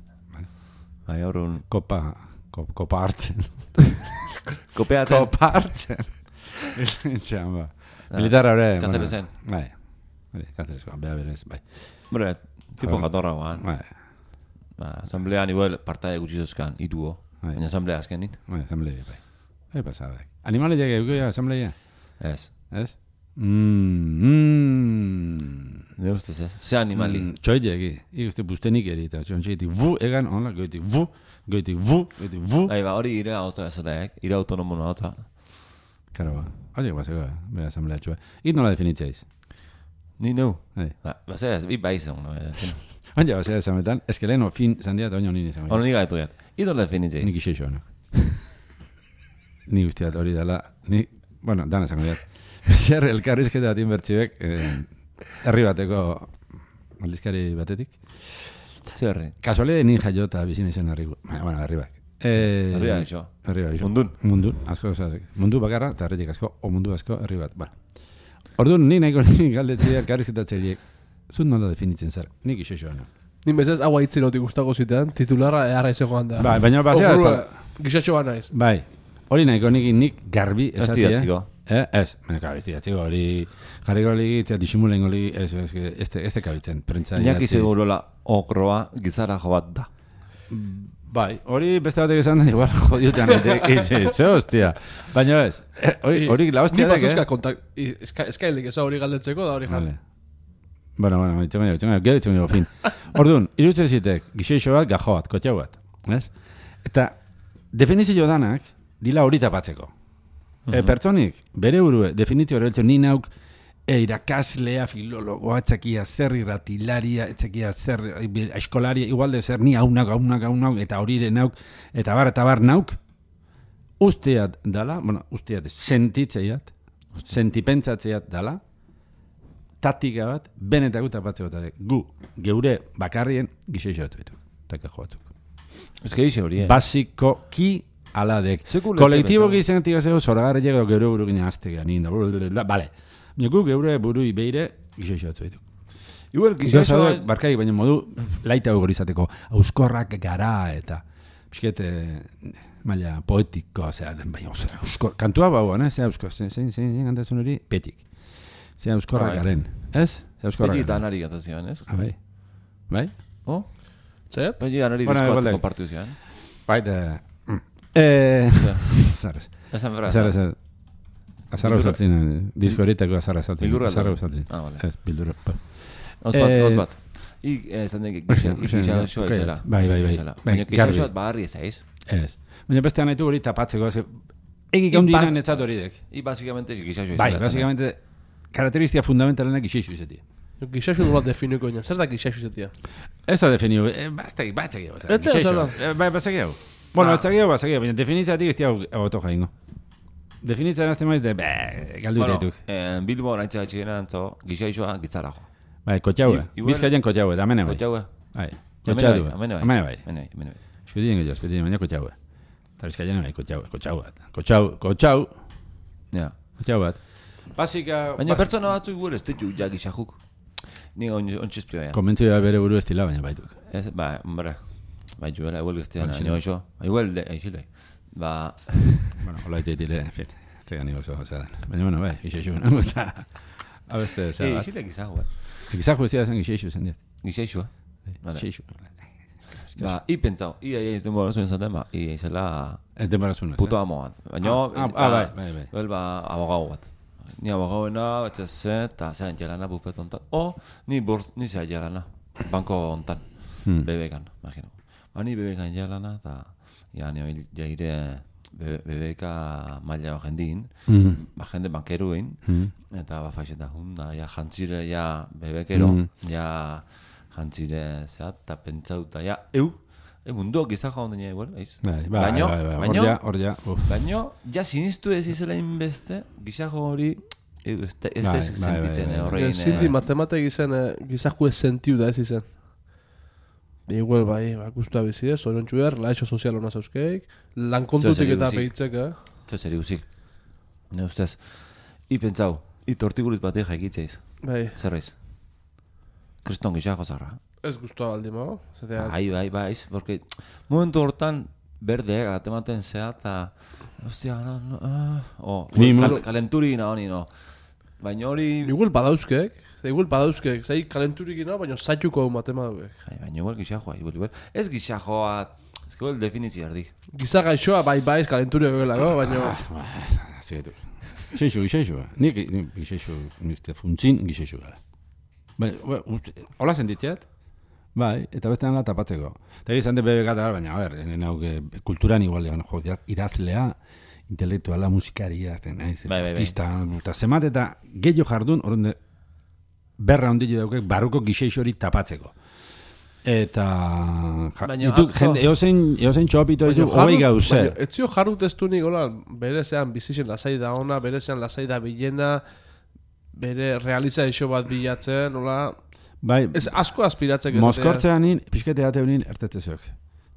Bai, aurregon... Kopa hartzen. Kopeatzen. Kopa hartzen. Txama. Militar haure... Katerezen. Bai. Katerezen, beha berez, bai. Bore, tipo jatorra guan. Bai. Asamblean igual partaia gutxi zozkan, iruo. Baina asamblea azkenin. Bai, asamblea, bai. Bai, pasada. Animale llegue, eukia asamblea? Ez. Ez? Ne ustez ez? Ze animali? Txoi llegi. Iguste bustenik erita. Txon txeiti vu egan, onla, goitik vu. Bai, hori ire auto ezateak, ire autonomo auto. Karo ba. Hori baseko, bera asamblea txua. It nola definitzeaiz? Ni neu. Bai. Bi baizan. Oina, basea esametan, eske leheno fin zandia eta oino nini esan. Ono niga etu jat. Ido definitzeaiz? Nik iseixo, no? Ni guztiat hori dela, bueno, dana esango jat. Zer elkarrizketa bat inbertzibek, herri bateko aldizkari batetik. Zerri? Kasualide nin jaio eta bizin izan herri bat. Herri bat iso. Mundun, asko osatek. Mundu bakarra eta herritik asko, o mundu asko herri bat. Orduan, ni nahiko galdetzea elkarrizketatzeiek, zut nola definitzen zer, nik isexo no. Nin bezaz, hau haitzen otik guztako zitean, titularra eharra izegoan da. Bai, baina basea ez da. Gizatxoa naiz. Bai, hori nahiko nik garbi esatia. Estidatziko. Ez, estidatziko hori, jarriko ligi, disimulengo ligi, ez kabitzen, prentza. Iñaki segurola okroa gizara jo bat da. Bai, hori beste batek esan da, igual jodiotan, ze hostia. Baina ez, hori la hostia da, Ni pasuzka eskailik eza hori galdetzeko da hori jan. Bueno, gero fin. Orduan, irutze zitek, gixeixo bat, gajo bat, kotxau bat. Eta, definizio danak, dila hori tapatzeko. Pertsonik, bere burue, definizio hori beltzo, ni nauk, irakaslea, filologoa, etzakia zer, irratilaria, etzakia zer, eskolaria, igual de zer, ni haunak, eta horire nauk, eta bar nauk, usteat dala, usteat sentitzeiat, sentipentsatzeat dala, taktika bat, benetako tapatzeko eta gu, geure bakarrien, gixeixo batu ditu, takajo batzuk. Ez que dixe hori, Basiko ki aladek. Kolektibo gizentik azego, zoragarri llega geure buru gina aztegean, vale. Gu geure burui beire, gixeixo batu ditu. Igual, gixeixo... Barkai, baina modu, laita hori izateko, auskorrak gara eta, pisket, maila poetiko, baina, kantua bauan, zein kantazun hori, petik. Zea euskorrak garen, ez? Beti eta anari gatazioan, ez? Bai? Oh? Zer? Beti anari diskoat kompartiu zian. Bai, Zerrez. Esan berra. Zerrez. Azarra usatzen, disko eritako azarra usatzen. Bildurra Azarra da. usatzen. Vale. Ez, bildurra. Nos bat. Esan dek, gixaxoa izela. Bai. Baina gixaxoa baharri ezaiz. Ez. Baina bestean nahitu hori tapatzeko. Egi gaundinan etzat hori dek. I básicamente gixaxoa izela. Bai, básicamente, karakteristika fundamentalenak gixeixu izatea. Gixaxu nola definiko ina. Zer da gixaxu izatea? Ez da definiu, batzak Bueno, batzak baina definitzatik ez diau auto jaingo. Definitzen azte maiz de, galdu dituk. Bilbo naitxe batxigena antzo, gixaxoa gizara jo. Bai, kotxaue. Bizkaian kotxaue, da amene bai. Kotxaue. Bai, kotxadu. Amene bai. Espedien baina kotxaue. Eta bizkaian bai, kotxau. Ja. Kotxau bat. Basika... Baina pertsona batzuk gure ez ditu ja gixajuk. Ni ontxizpioa ja. Konbentzio bere buru estila, baina baituk. Ba, hombre. Bai, juela, igual gaztean, nio iso. Igual, aixildai. Ba... Bueno, hola itzaitile, en fin. Tega nigo zo, zelan. Baina, bueno, bai, gixeixu. Abeste, zelan. Aixildai gizahu, Gizahu ez dira zen gixeixu zen diat. Gixeixu, Gixeixu. Ba, pentsau, ez denbora zuen zaten, ba, izela... Ez denbora zuen. Puto amoan. Baina, bai. Ba, abogau bat. Ni abogauena, etxeze, eta zean jelana bufet ontan. Ni zea jelana, banko ontan. Bebekan, imagino. Ba, ni bebekan jelana, eta ni hori jaire bebeka maila jendin, ba, jende bankeruin, eta ba, faixeta hunda, ja, jantzire, ja, bebekero, ja, jantzire, zea, eta pentsauta, ja, munduak gizajo hondina igual, eiz? Baina, ja, sinistu ez izela inbeste, gizajo hori, ez sentitzen, horrein... Zinti, matematek izan, gizajo ez sentiu da ez izan. Igual, bai, guztua bizidez, oriontxu behar, laixo sozial hona zauzkeik, lankontutik eta pehitzek, Txoseri guzik. Ne ustez, pentsau, tortiguliz batek jaikitzeiz. Bai. Zerreiz? Kriston gizajo zarra. Ez guztua baldi mago. Bai, porque momentu hortan berde, gatematen zea, eta... Ostia, kalenturi ina honi, no. Baina hori... Igual badauzkek, zai kalenturik ina, baina zaituko hau matema daukek. Baina igual gizajoa, igual. Ez gizajoa, ez que definizia erdi. Giza gaixoa, bai, kalenturiak egelago, baina... Zigaitu. Gixeixu. Nik gixeixu, nizte funtzin gixeixu gara. Hola sentitzeat? Bai, eta bestean la tapatzeko. Eta izan de bebe gata, baina, a ver, kulturan igual, idazlea, intelektuala, musikaria, artista, eta zemat eta gehiago jardun, horren berra ondile daukek, barruko gixeixo hori tapatzeko. Eta... Eozein txopito ditu, hogei gauze. Etzio jarrut ez du nik, berezean bizixen lasai da ona, berezean lasai da bilena, bere realizazio bat bilatzen, hola... Bai, ez asko aspiratzek ez. Moskortzean nin, pixkete ateu nin ertetzeziok.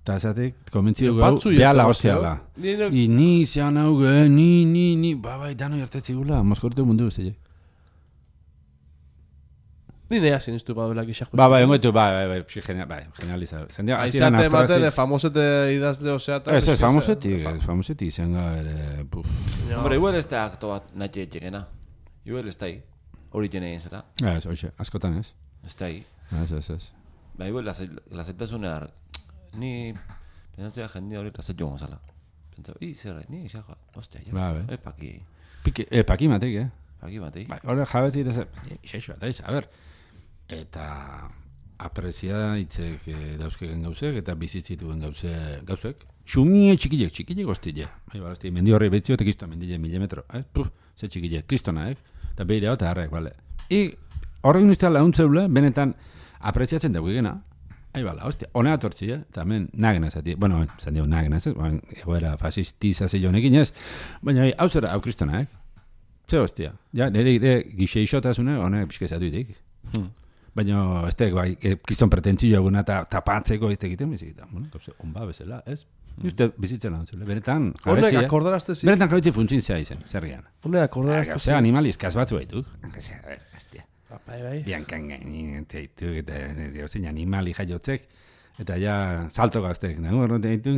Eta esatik, konbentzio gau, behala hostiala. Ni zean hau ni, bai, dano ertetzi gula, Moskorteu mundu guztiak. Ni nea sinistu baduela gixak. Bai, genializa. Aizate ematen, famosete idazle oseata. Ez, famoseti izan gara, Hombre, igual ez da akto bat nahi etxekena. Igual ez da hori jene egin zela. Ez, oixe, askotan ez. Ez da Ez. Ba, igual, lazetasunear, ni pensatzea jende hori lazet joan gozala. Pentsau, zerra, ni xajoa, ostia, jaz, paki. Paki matek, Paki matei. Ba, hori jabetzi eta xeixua, eta a ber, eta aprezia hitzek dauzkegen gauzek, eta bizitzituen gauzek. Xumie txikilek hostile. Bai, mendi horri behitzio eta kristoa mendile 1000 metro. Ze txikilek, kristona, eta behire hau eta harrek, bale. Horrek nuztea launtzeule, benetan apreziatzen dugu egena. Hostia, honea tortzi, eta hemen nagena zati. Bueno, zan digo nagena, ez? Egoera fasistiza zeion egin ez. Baina, hau zera, hau kristona, Ze hostia. Ja, nire gixeixotasune, honek pixka zatu itik. Baina, ez da, kriston pretentzio eguna eta tapatzeko ez egiten bizik. Bueno, onba bezala, ez? Uste bizitzen launtzule. Benetan, jabetzia. Benetan jabetzia funtzin zea izen, zerrian. Honek akordarazte. Zea animaliz, kasbatzu baitu. Bai. Biankan gainin, teitu, eta zein animali jaiotzek, eta ja salto gaztek. Horren teitu,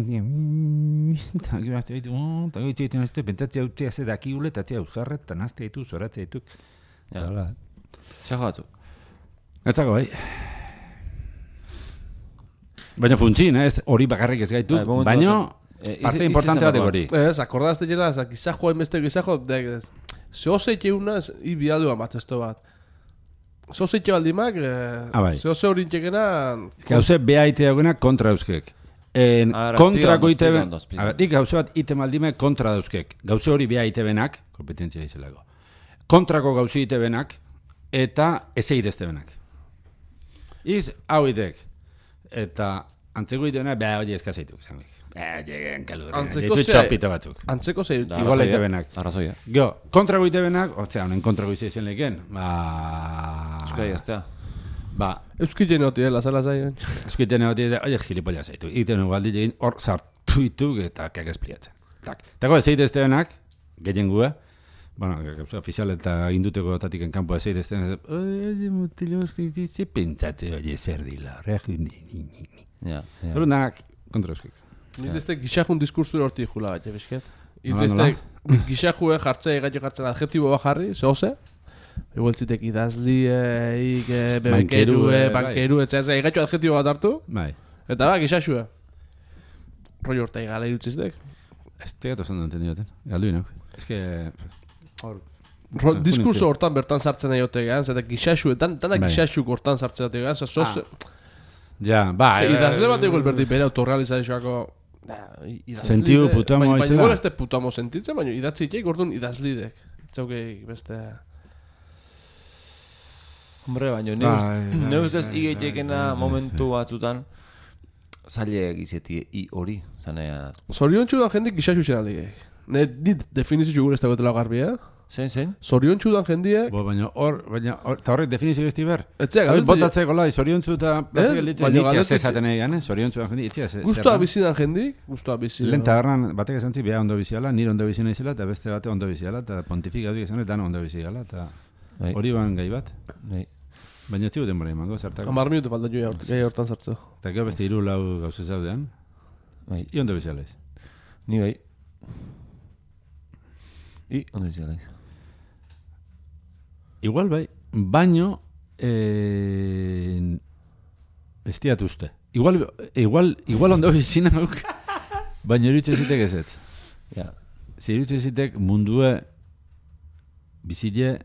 eta gero azte baitu, eta gero itxeiten azte, pentsatzea utzea ze dakigule, eta tzea uzarret, eta nazte ditu, zoratzea ditu. Txajo batzu. Etzako, bai. Baina funtzin, hori bakarrik ez gaitu, baina parte importante batek hori. Ez, akordarazte jela, gizajoa enbeste gizajo, Zehozeite una, bidaldua bat, esto bat. Zehozeite baldimak, bai. zehoze hori intxekena... Gauze behaite dagoena kontra euskek. Kontrako iteben... Nik gauze bat ite maldime kontra dauzkek. Gauze hori beha itebenak, kompetentzia izelako. Kontrako gauze itebenak, eta ez egiteztebenak. Iz, hau itek. Eta antzeko itebena, beha hori eskazaituk. Ditu txapita batzuk. Antzeko zei. Igual itebenak. Arrazoia. Gio, kontrako itebenak, honen kontrako izen leken, Euskara jaztea. Euskiten hoti, lazala zain. Euskiten hoti, oie, gilipolla zaitu. Iten ugaldi egin hor sartu ituk eta kak espliatzen. Tako ez egiteztebenak, gehien gue, bueno, ofizial eta induteko tatik enkampo ez egiteztebenak, oie, mutilo, ze pentsatze, oie, zer dila, Horun danak, kontra euskik. Nizte gixajun diskursura horti jula bat, ebesket. Nizte gixajue jartzea, gaito jartzen adjetibo bat jarri, zehoze. Igualtzitek idazliek, bebekerue, bankeru, etxea, gaito adjetibo bat hartu. Bai. Eta gixaxue. Roi horta igala irutziztek. Ez tegato zondo entendioten, galdu inok. Ez que... Diskurso hortan bertan sartzen nahi otegan, zeta gixaxue, tanak gixaxuk hortan sartzen otegan, zoze... Ja, bai. Idazle bat egol berdi bere autorealizazioako... Sentiu putamo izela. Baina igual ez putamo sentitzen, baina idatziteik orduan idazlidek. Txaukeik beste... Hombre, baina ne ustez igeitekena momentu batzutan zaileak izeti hori, zanea... Zorion txudan jendik gixaxu zen aldigek. Ne dit definizio gure ez dagoetela garbi, Zein? Zorion txudan jendiek... Baina eta horrek definizio besti ber? Etxea, botatzeko lai, zorion txu eta plazik elitzen, nitzia zezaten egin, zorion txudan jendik, itzia zezaten. Guztua bizidan jendik, guztua bizidan. Lehen tagarran batek esan zi, beha ondo biziala, nire ondo bizina izela, eta beste bate ondo biziala, eta pontifik haudik esan, eta ondo biziala, eta hori ban gai bat. Baina txigu denbora imango, zartako. 10 minutu falta jo gai hortan sartzu. Eta gero beste 3-4 gauze zaudean, i ondo biziala iz. Ni bai. I ondo biziala iz. Igual bai, baino bestiat uste. Igual ondo bizina nauk, baina erutxe zitek ez ez. Ja. Zerutxe zitek mundue bizile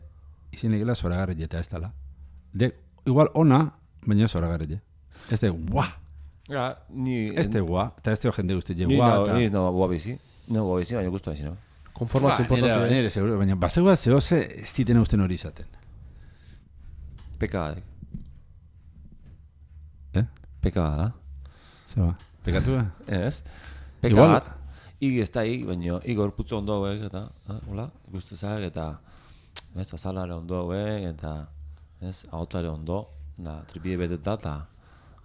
izinekela zoragarri eta ez dala. Igual ona, baina zoragarri. Ez de guá. Ja, ni... Ez de guá, eta ez de jende guzti je Ni guá. ez nago guá bizi. Nago guá bizi, baina guztua bizi, no? Konformatzen importante. Nire seguro, baina bazegua zehoze ez ditena usten hori izaten. Peka badek. Peka bada. Zeba, pekatu ba? Ez. Peka bat. Ig ez da ig, baina ig gorputzu ondo hauek, eta, hola, ikustezak, eta, ez, bazalare ondo hauek, eta, ez, ahotzare ondo, da, tripide beteta, eta,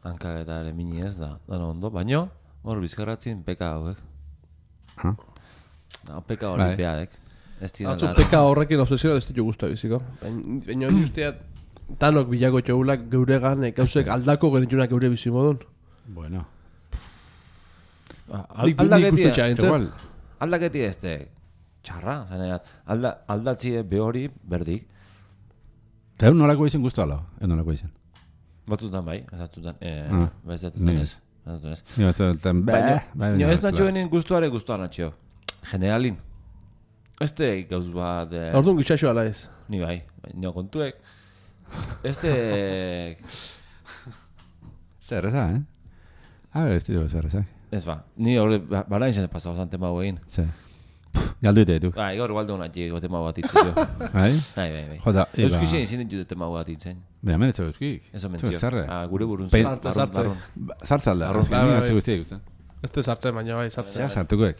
hankak eta ere mini ez, da, dana ondo, baina, hor bizkarratzin peka hauek. Peka hori beadek. Atzu peka horrekin obsesioa ez ditu guztua biziko. Baina hori usteat, tanok bilako txogulak geuregan, gauzek aldako genitunak geure bizimodun. Bueno. Aldaketi ez txarra, aldatzie behori berdik. Eta egun nolako izan guztu ala, egun nolako izan. Batzutan bai, ezatzutan, ez. Baina ez natxoenin guztuare guztuan natxio. Generalin. Ez gauz bat... Orduan gitxaxo ala ez. Ni bai, nio kontuek. Ez Zer eza, ez ditu zer eza. Ez ba, ni horre, barain zen pasau zan tema guein. Zer. Galdu ite ditu. Bai, gaur balde honat jego tema bat itzen jo. Bai? Bai. Jota, Euskizien izin ditu tema bat itzen. Baina menetze euskik. Eso mentzio. Gure burun Sartze. Sartzalda, azken atze guztiak ikusten. Ez te sartzen, baina bai, sartzen. Ja, sartukoek.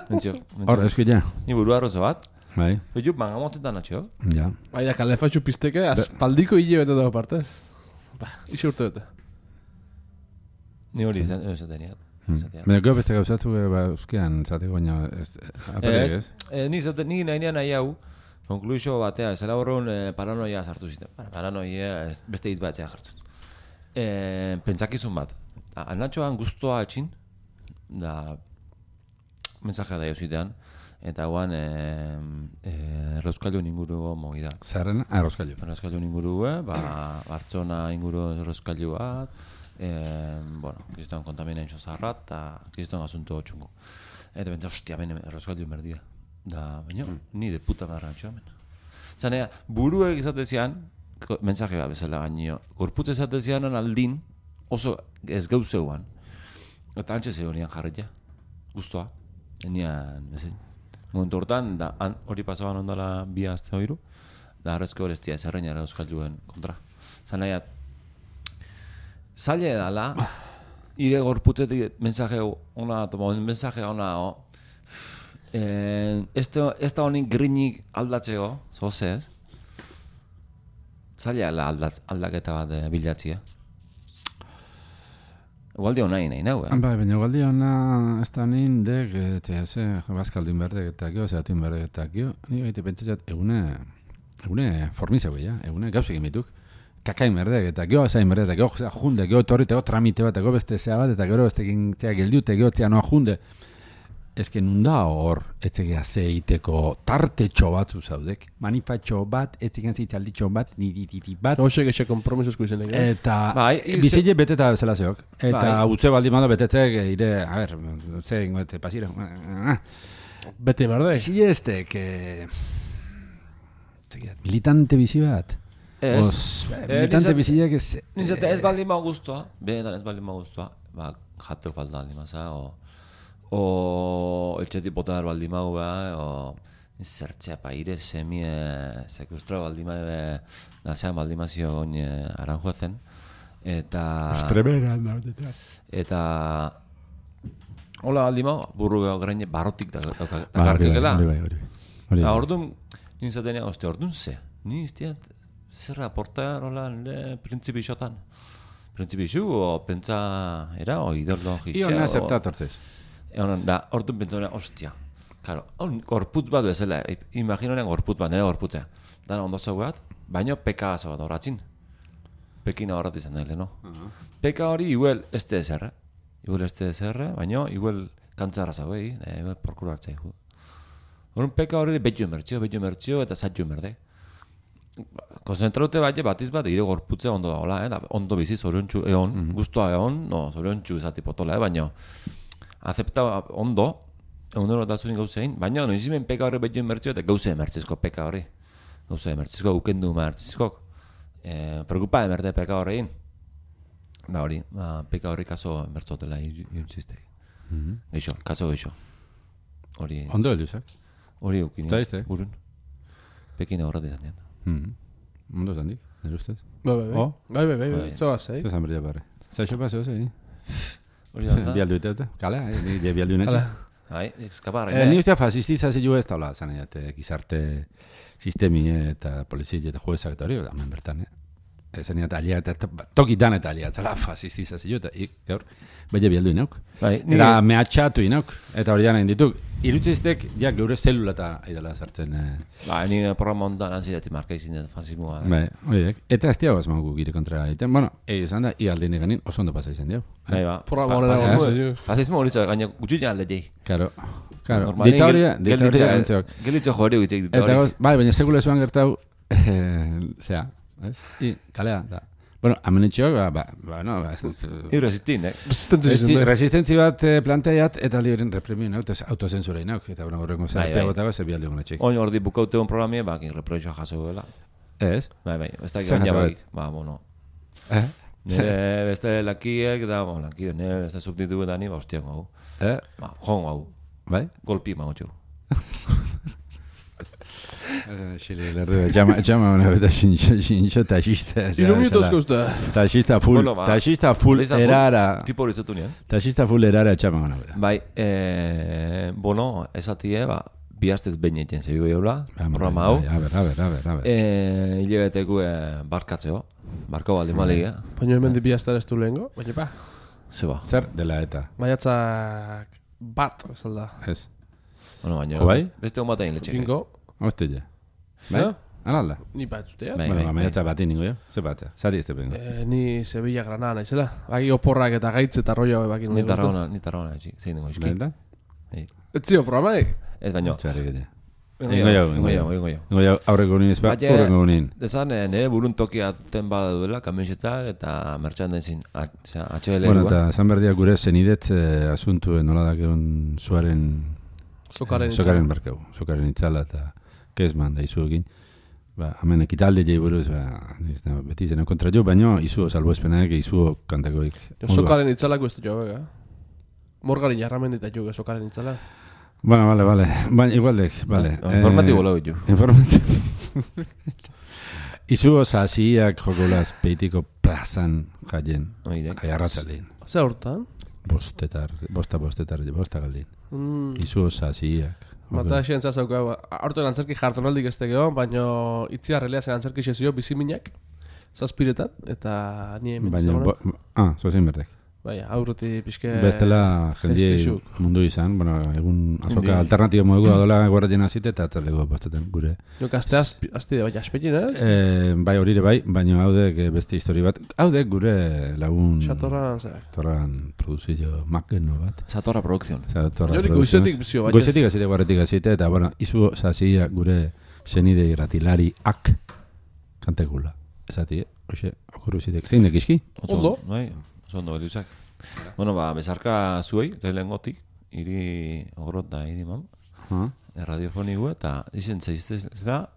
Mentzio. Hor, euskik ja. Ni buru arrozo bat. Bai. Oiu, mangamotetan atxo. Ja. Bai, da, kalefatxu pizteke, aspaldiko hile bete dago partez. Ba, iso urte dute. Ni hori esaten niat. Baina gero beste gauzatzu euskean zateko, baina aparek ez? Ni nahi nahi hau, konkluixo batea, ez horren paranoia sartu ziten. Paranoia beste hitz batzea jartzen. Pentsakizun bat. Anatxoan guztua atxin, da mensajea da jauzitean, eta guan errauskailu inguru mogi da. Zerren? Errauskailu. Errauskailu inguru, Bartzona inguru errauskailu bat, kriston kontaminentxo zarrat, eta kriston asunto txungo. Eta bentsa, hostia, bene errauskailu merdia. Da, baina, ni de puta marra hemen. Zanea, buruek izatezian, mensaje bat bezala gaino, gorputz izatezian aldin, oso ez gauzeuan. Eta antxe zegoenian jarretia, guztua, enian, bezein. Momentu hortan, da, hori pasaban ondala bi azte hoiru, da arrezko horeztia ezerreinara euskalduen kontra. Zanea, zaila edala, ire gorputzetik mensaje ona, ez da honik grinik aldatzeko, zozez, zaila aldaketa bat bilatzia. Igualdi hona nahi nahu, Bai, baina igualdi hona ez da nien dek, eta bazkaldun berdek eta gio, zeatun berdek eta gio, ni baita pentsatzat egune formizeu ja, egune gauzek emituk. Kakain berdek eta gio zain berdek, eta gio junde, gio torri, gio tramite bat, gio beste zea bat, eta gero beste gintzea geldiute, gio tzea noa junde. Ezken nunda hor, etzegea zeiteko tartetxo batzu zaudek. Manifatxo bat, etzegean zeitzalditxo bat, nidititi bat. Hoxek exe kompromisuzko izenek. Eta bizile beteta bezala zeok. Eta utze baldi mando betetzek, ire, a ber, utze ingoete pasire. Bete merde. Bizile estek, militante bizi bat. Militante bizileak ez... Nintzate ez baldin ma guztua, benetan ez baldin ma guztua, jateo falta baldin maza, o etxetik botar baldin mau o zertzea paire semie sekustra baldin mau nasean baldin mazio goin aranjuezen eta eta hola baldin mau burru gaine barrotik dakarkela orduan nintzatenia orduan ze ni iztiat zer aportar hola printzipixotan printzipixu o pentsa era o ideologizia iona zertatortzez da, orduan pentsona, ostia. Claro, gorputz bat bezala, imaginoen gorputz bat, nire gorputzea. Dana ondo zau bat, baino peka gaza bat horatzin. Pekina horrat izan daile, no? Peka hori igual ez te ezerre. Baino igual kantzarra zau, igual porkuru hartzea. Horren peka hori betxu emertzio eta zatxu emerde. Konzentraute batiz bat, ire gorputzea ondo da, hola, ondo bizi, zoriontxu egon, guztua egon, no, zoriontxu izati potola, baino acepta ondo, egunero da zuen gauzein, baina noizimen peka horri betxu emertzio eta gauze emertzizko peka horri. Gauze emertzizko, ukendu emertzizko. Preocupa emerte peka horrein. Da hori, peka horri kaso emertzotela iruntzizte. Geixo, kaso geixo. Ondo elduzak? Hori eukini. Da izte? Burun. Pekina horret izan dian. Ondo zandik, nire ustez? Bai, zoaz, Zezan berdia barre. Zaixo paseo zein? Bialdu eta, kalea, nire bialdu netxe. Eskaparra. Ni ustea fasistitza zilu ez taula, zanaiate, gizarte sistemi eta polizia eta juezak eta hori, hemen bertan, Zaniat alia eta tokitan eta alia, zela fasistitza zilu eta gaur, baina bialdu inauk. Eta mehatxatu inauk, eta hori jana indituk. Irutziztek, ja, geure zelulata aidala sartzen. Ni programa ondan anzirati marka izin dut fasismoa. Horiek. Eta ez diago azmagu gire kontra egiten. Bueno, izan da, ialdin eganin oso ondo pasa izan diago. Programa honera. Fasismo hori zau, gaina gutxuina alde jai. Claro. Diktadoria gantzeok. Gelitzo jori gutxeik diktadoria. Bai, baina sekule zuan gertau, zera, kalea, da. Bueno, amenetxeok, no, irresistin, resistentzi bat planteat, eta liberen repremio nauk, autozensura inauk, eta horrengo zehaztea gotago, ze bialde gonetxeik. Oin ordi bukaute hon programie, bakin reproixoa jaso gela. Ez? Bai, ez da gana baik, bueno. Nire beste lakiek, da, lakiek, nire beste subtitu eta ni, hostiak hau. Joan hau. Bai? Golpi magotxo. Xile, lerdu, llama una vez xinxo taxista. Iluminatuzko usta. Taxista full erara. Tipo hori zatu nian. Taxista full erara txama una vez. Bai, bono, esatie, bi hastez behin egiten zebi behiola, programa hau. A ver. Hilebeteku barkatzeo, barko baldi malegia. Baina hemen di bi hastan ez du lehengo, baina pa. Zeba. Zer dela eta? Maiatzak bat, ez alda. Ez. Bueno, baina, beste hon bat egin letxek. Bingo. Hostilla. Bai? Alalda? Ni bat zutea. Bueno, maiatza bat ningo jo. Ze batea? Zari ez te bengo. Ni Sevilla Granada naizela. Baki oporrak eta gaitz eta rollo bakin. Ni tarraona, zein dengo iski. Lenta? Ez zio programaik? Ez baino. Txarri gede. Ingo jau. Aurreko nien ezpak, aurreko nien. Dezan, nire burun tokia ten bada duela, kamisetak eta merchandising HL. Bueno, eta zan berdia gure zenidetz asuntu nola dakeun zuaren Sokaren barkau, sokaren itzala eta kezman da izuekin. Ba, hemen ekitalde jai buruz, beti zeno kontra jo, baina izuo salbuespenak, izuo kantakoik. Sokaren itzalako ez du jo, Morgari jarramen dita jo, sokaren itzala. Bueno, vale. Baina igualdek, vale. Informatibo lau jo. Informatibo. Izuo sasiak jokolaz peitiko plazan jaien. Jai arratzaldin. Zer hortan? Bosta galdin. Izuo sasiak. Mata esien zazauka, hartu antzerki jartonaldik ez tegeo, baina itziarrelea zen antzerki sezio biziminak, zazpiretan, eta nie hemen zagoen. Zozein berdek. Baina, aurruti pixke... Bestela jendie mundu izan, bueno, egun azoka alternatibo moduko adola guarratien azite eta atzaldeko bostetan gure. Jok, azte bai aspetin, Bai horire bai, baina haudek beste histori bat. Haudek gure lagun... Satorran produzio makeno bat. Satorra produkzion. Jori goizetik bizio bat. Goizetik azite, guarretik azite, eta bueno, izu zazia gure zenide irratilari ak kantekula. Ezati, hoxe, okurru zitek. Zein dekiski? Ondo. Ondo beluzak. Bueno, bezarka zuei, lehengotik, iri ogorot da, iri mam. Radiofonigu eta izen zaiztezela,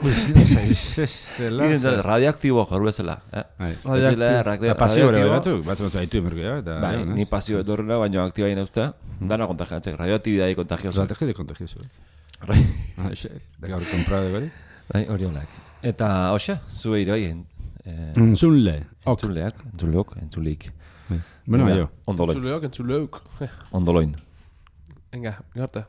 Izen radioaktibo jarru ezela, Radioaktibo. Pasio ere batzuk haitu emerko, Bai, ni pasio edorrela, baina aktiba egin eustea. Dana kontagiatzek, radioaktibidade kontagioso. Radioaktibidade kontagioso. Da gaur comprado de gori? Bai, hori honak. Eta, hoxe, zuei bai, Entzuleok. Bueno, yo. Ondoloin. Entzuleok. Ondoloin. Venga, garte.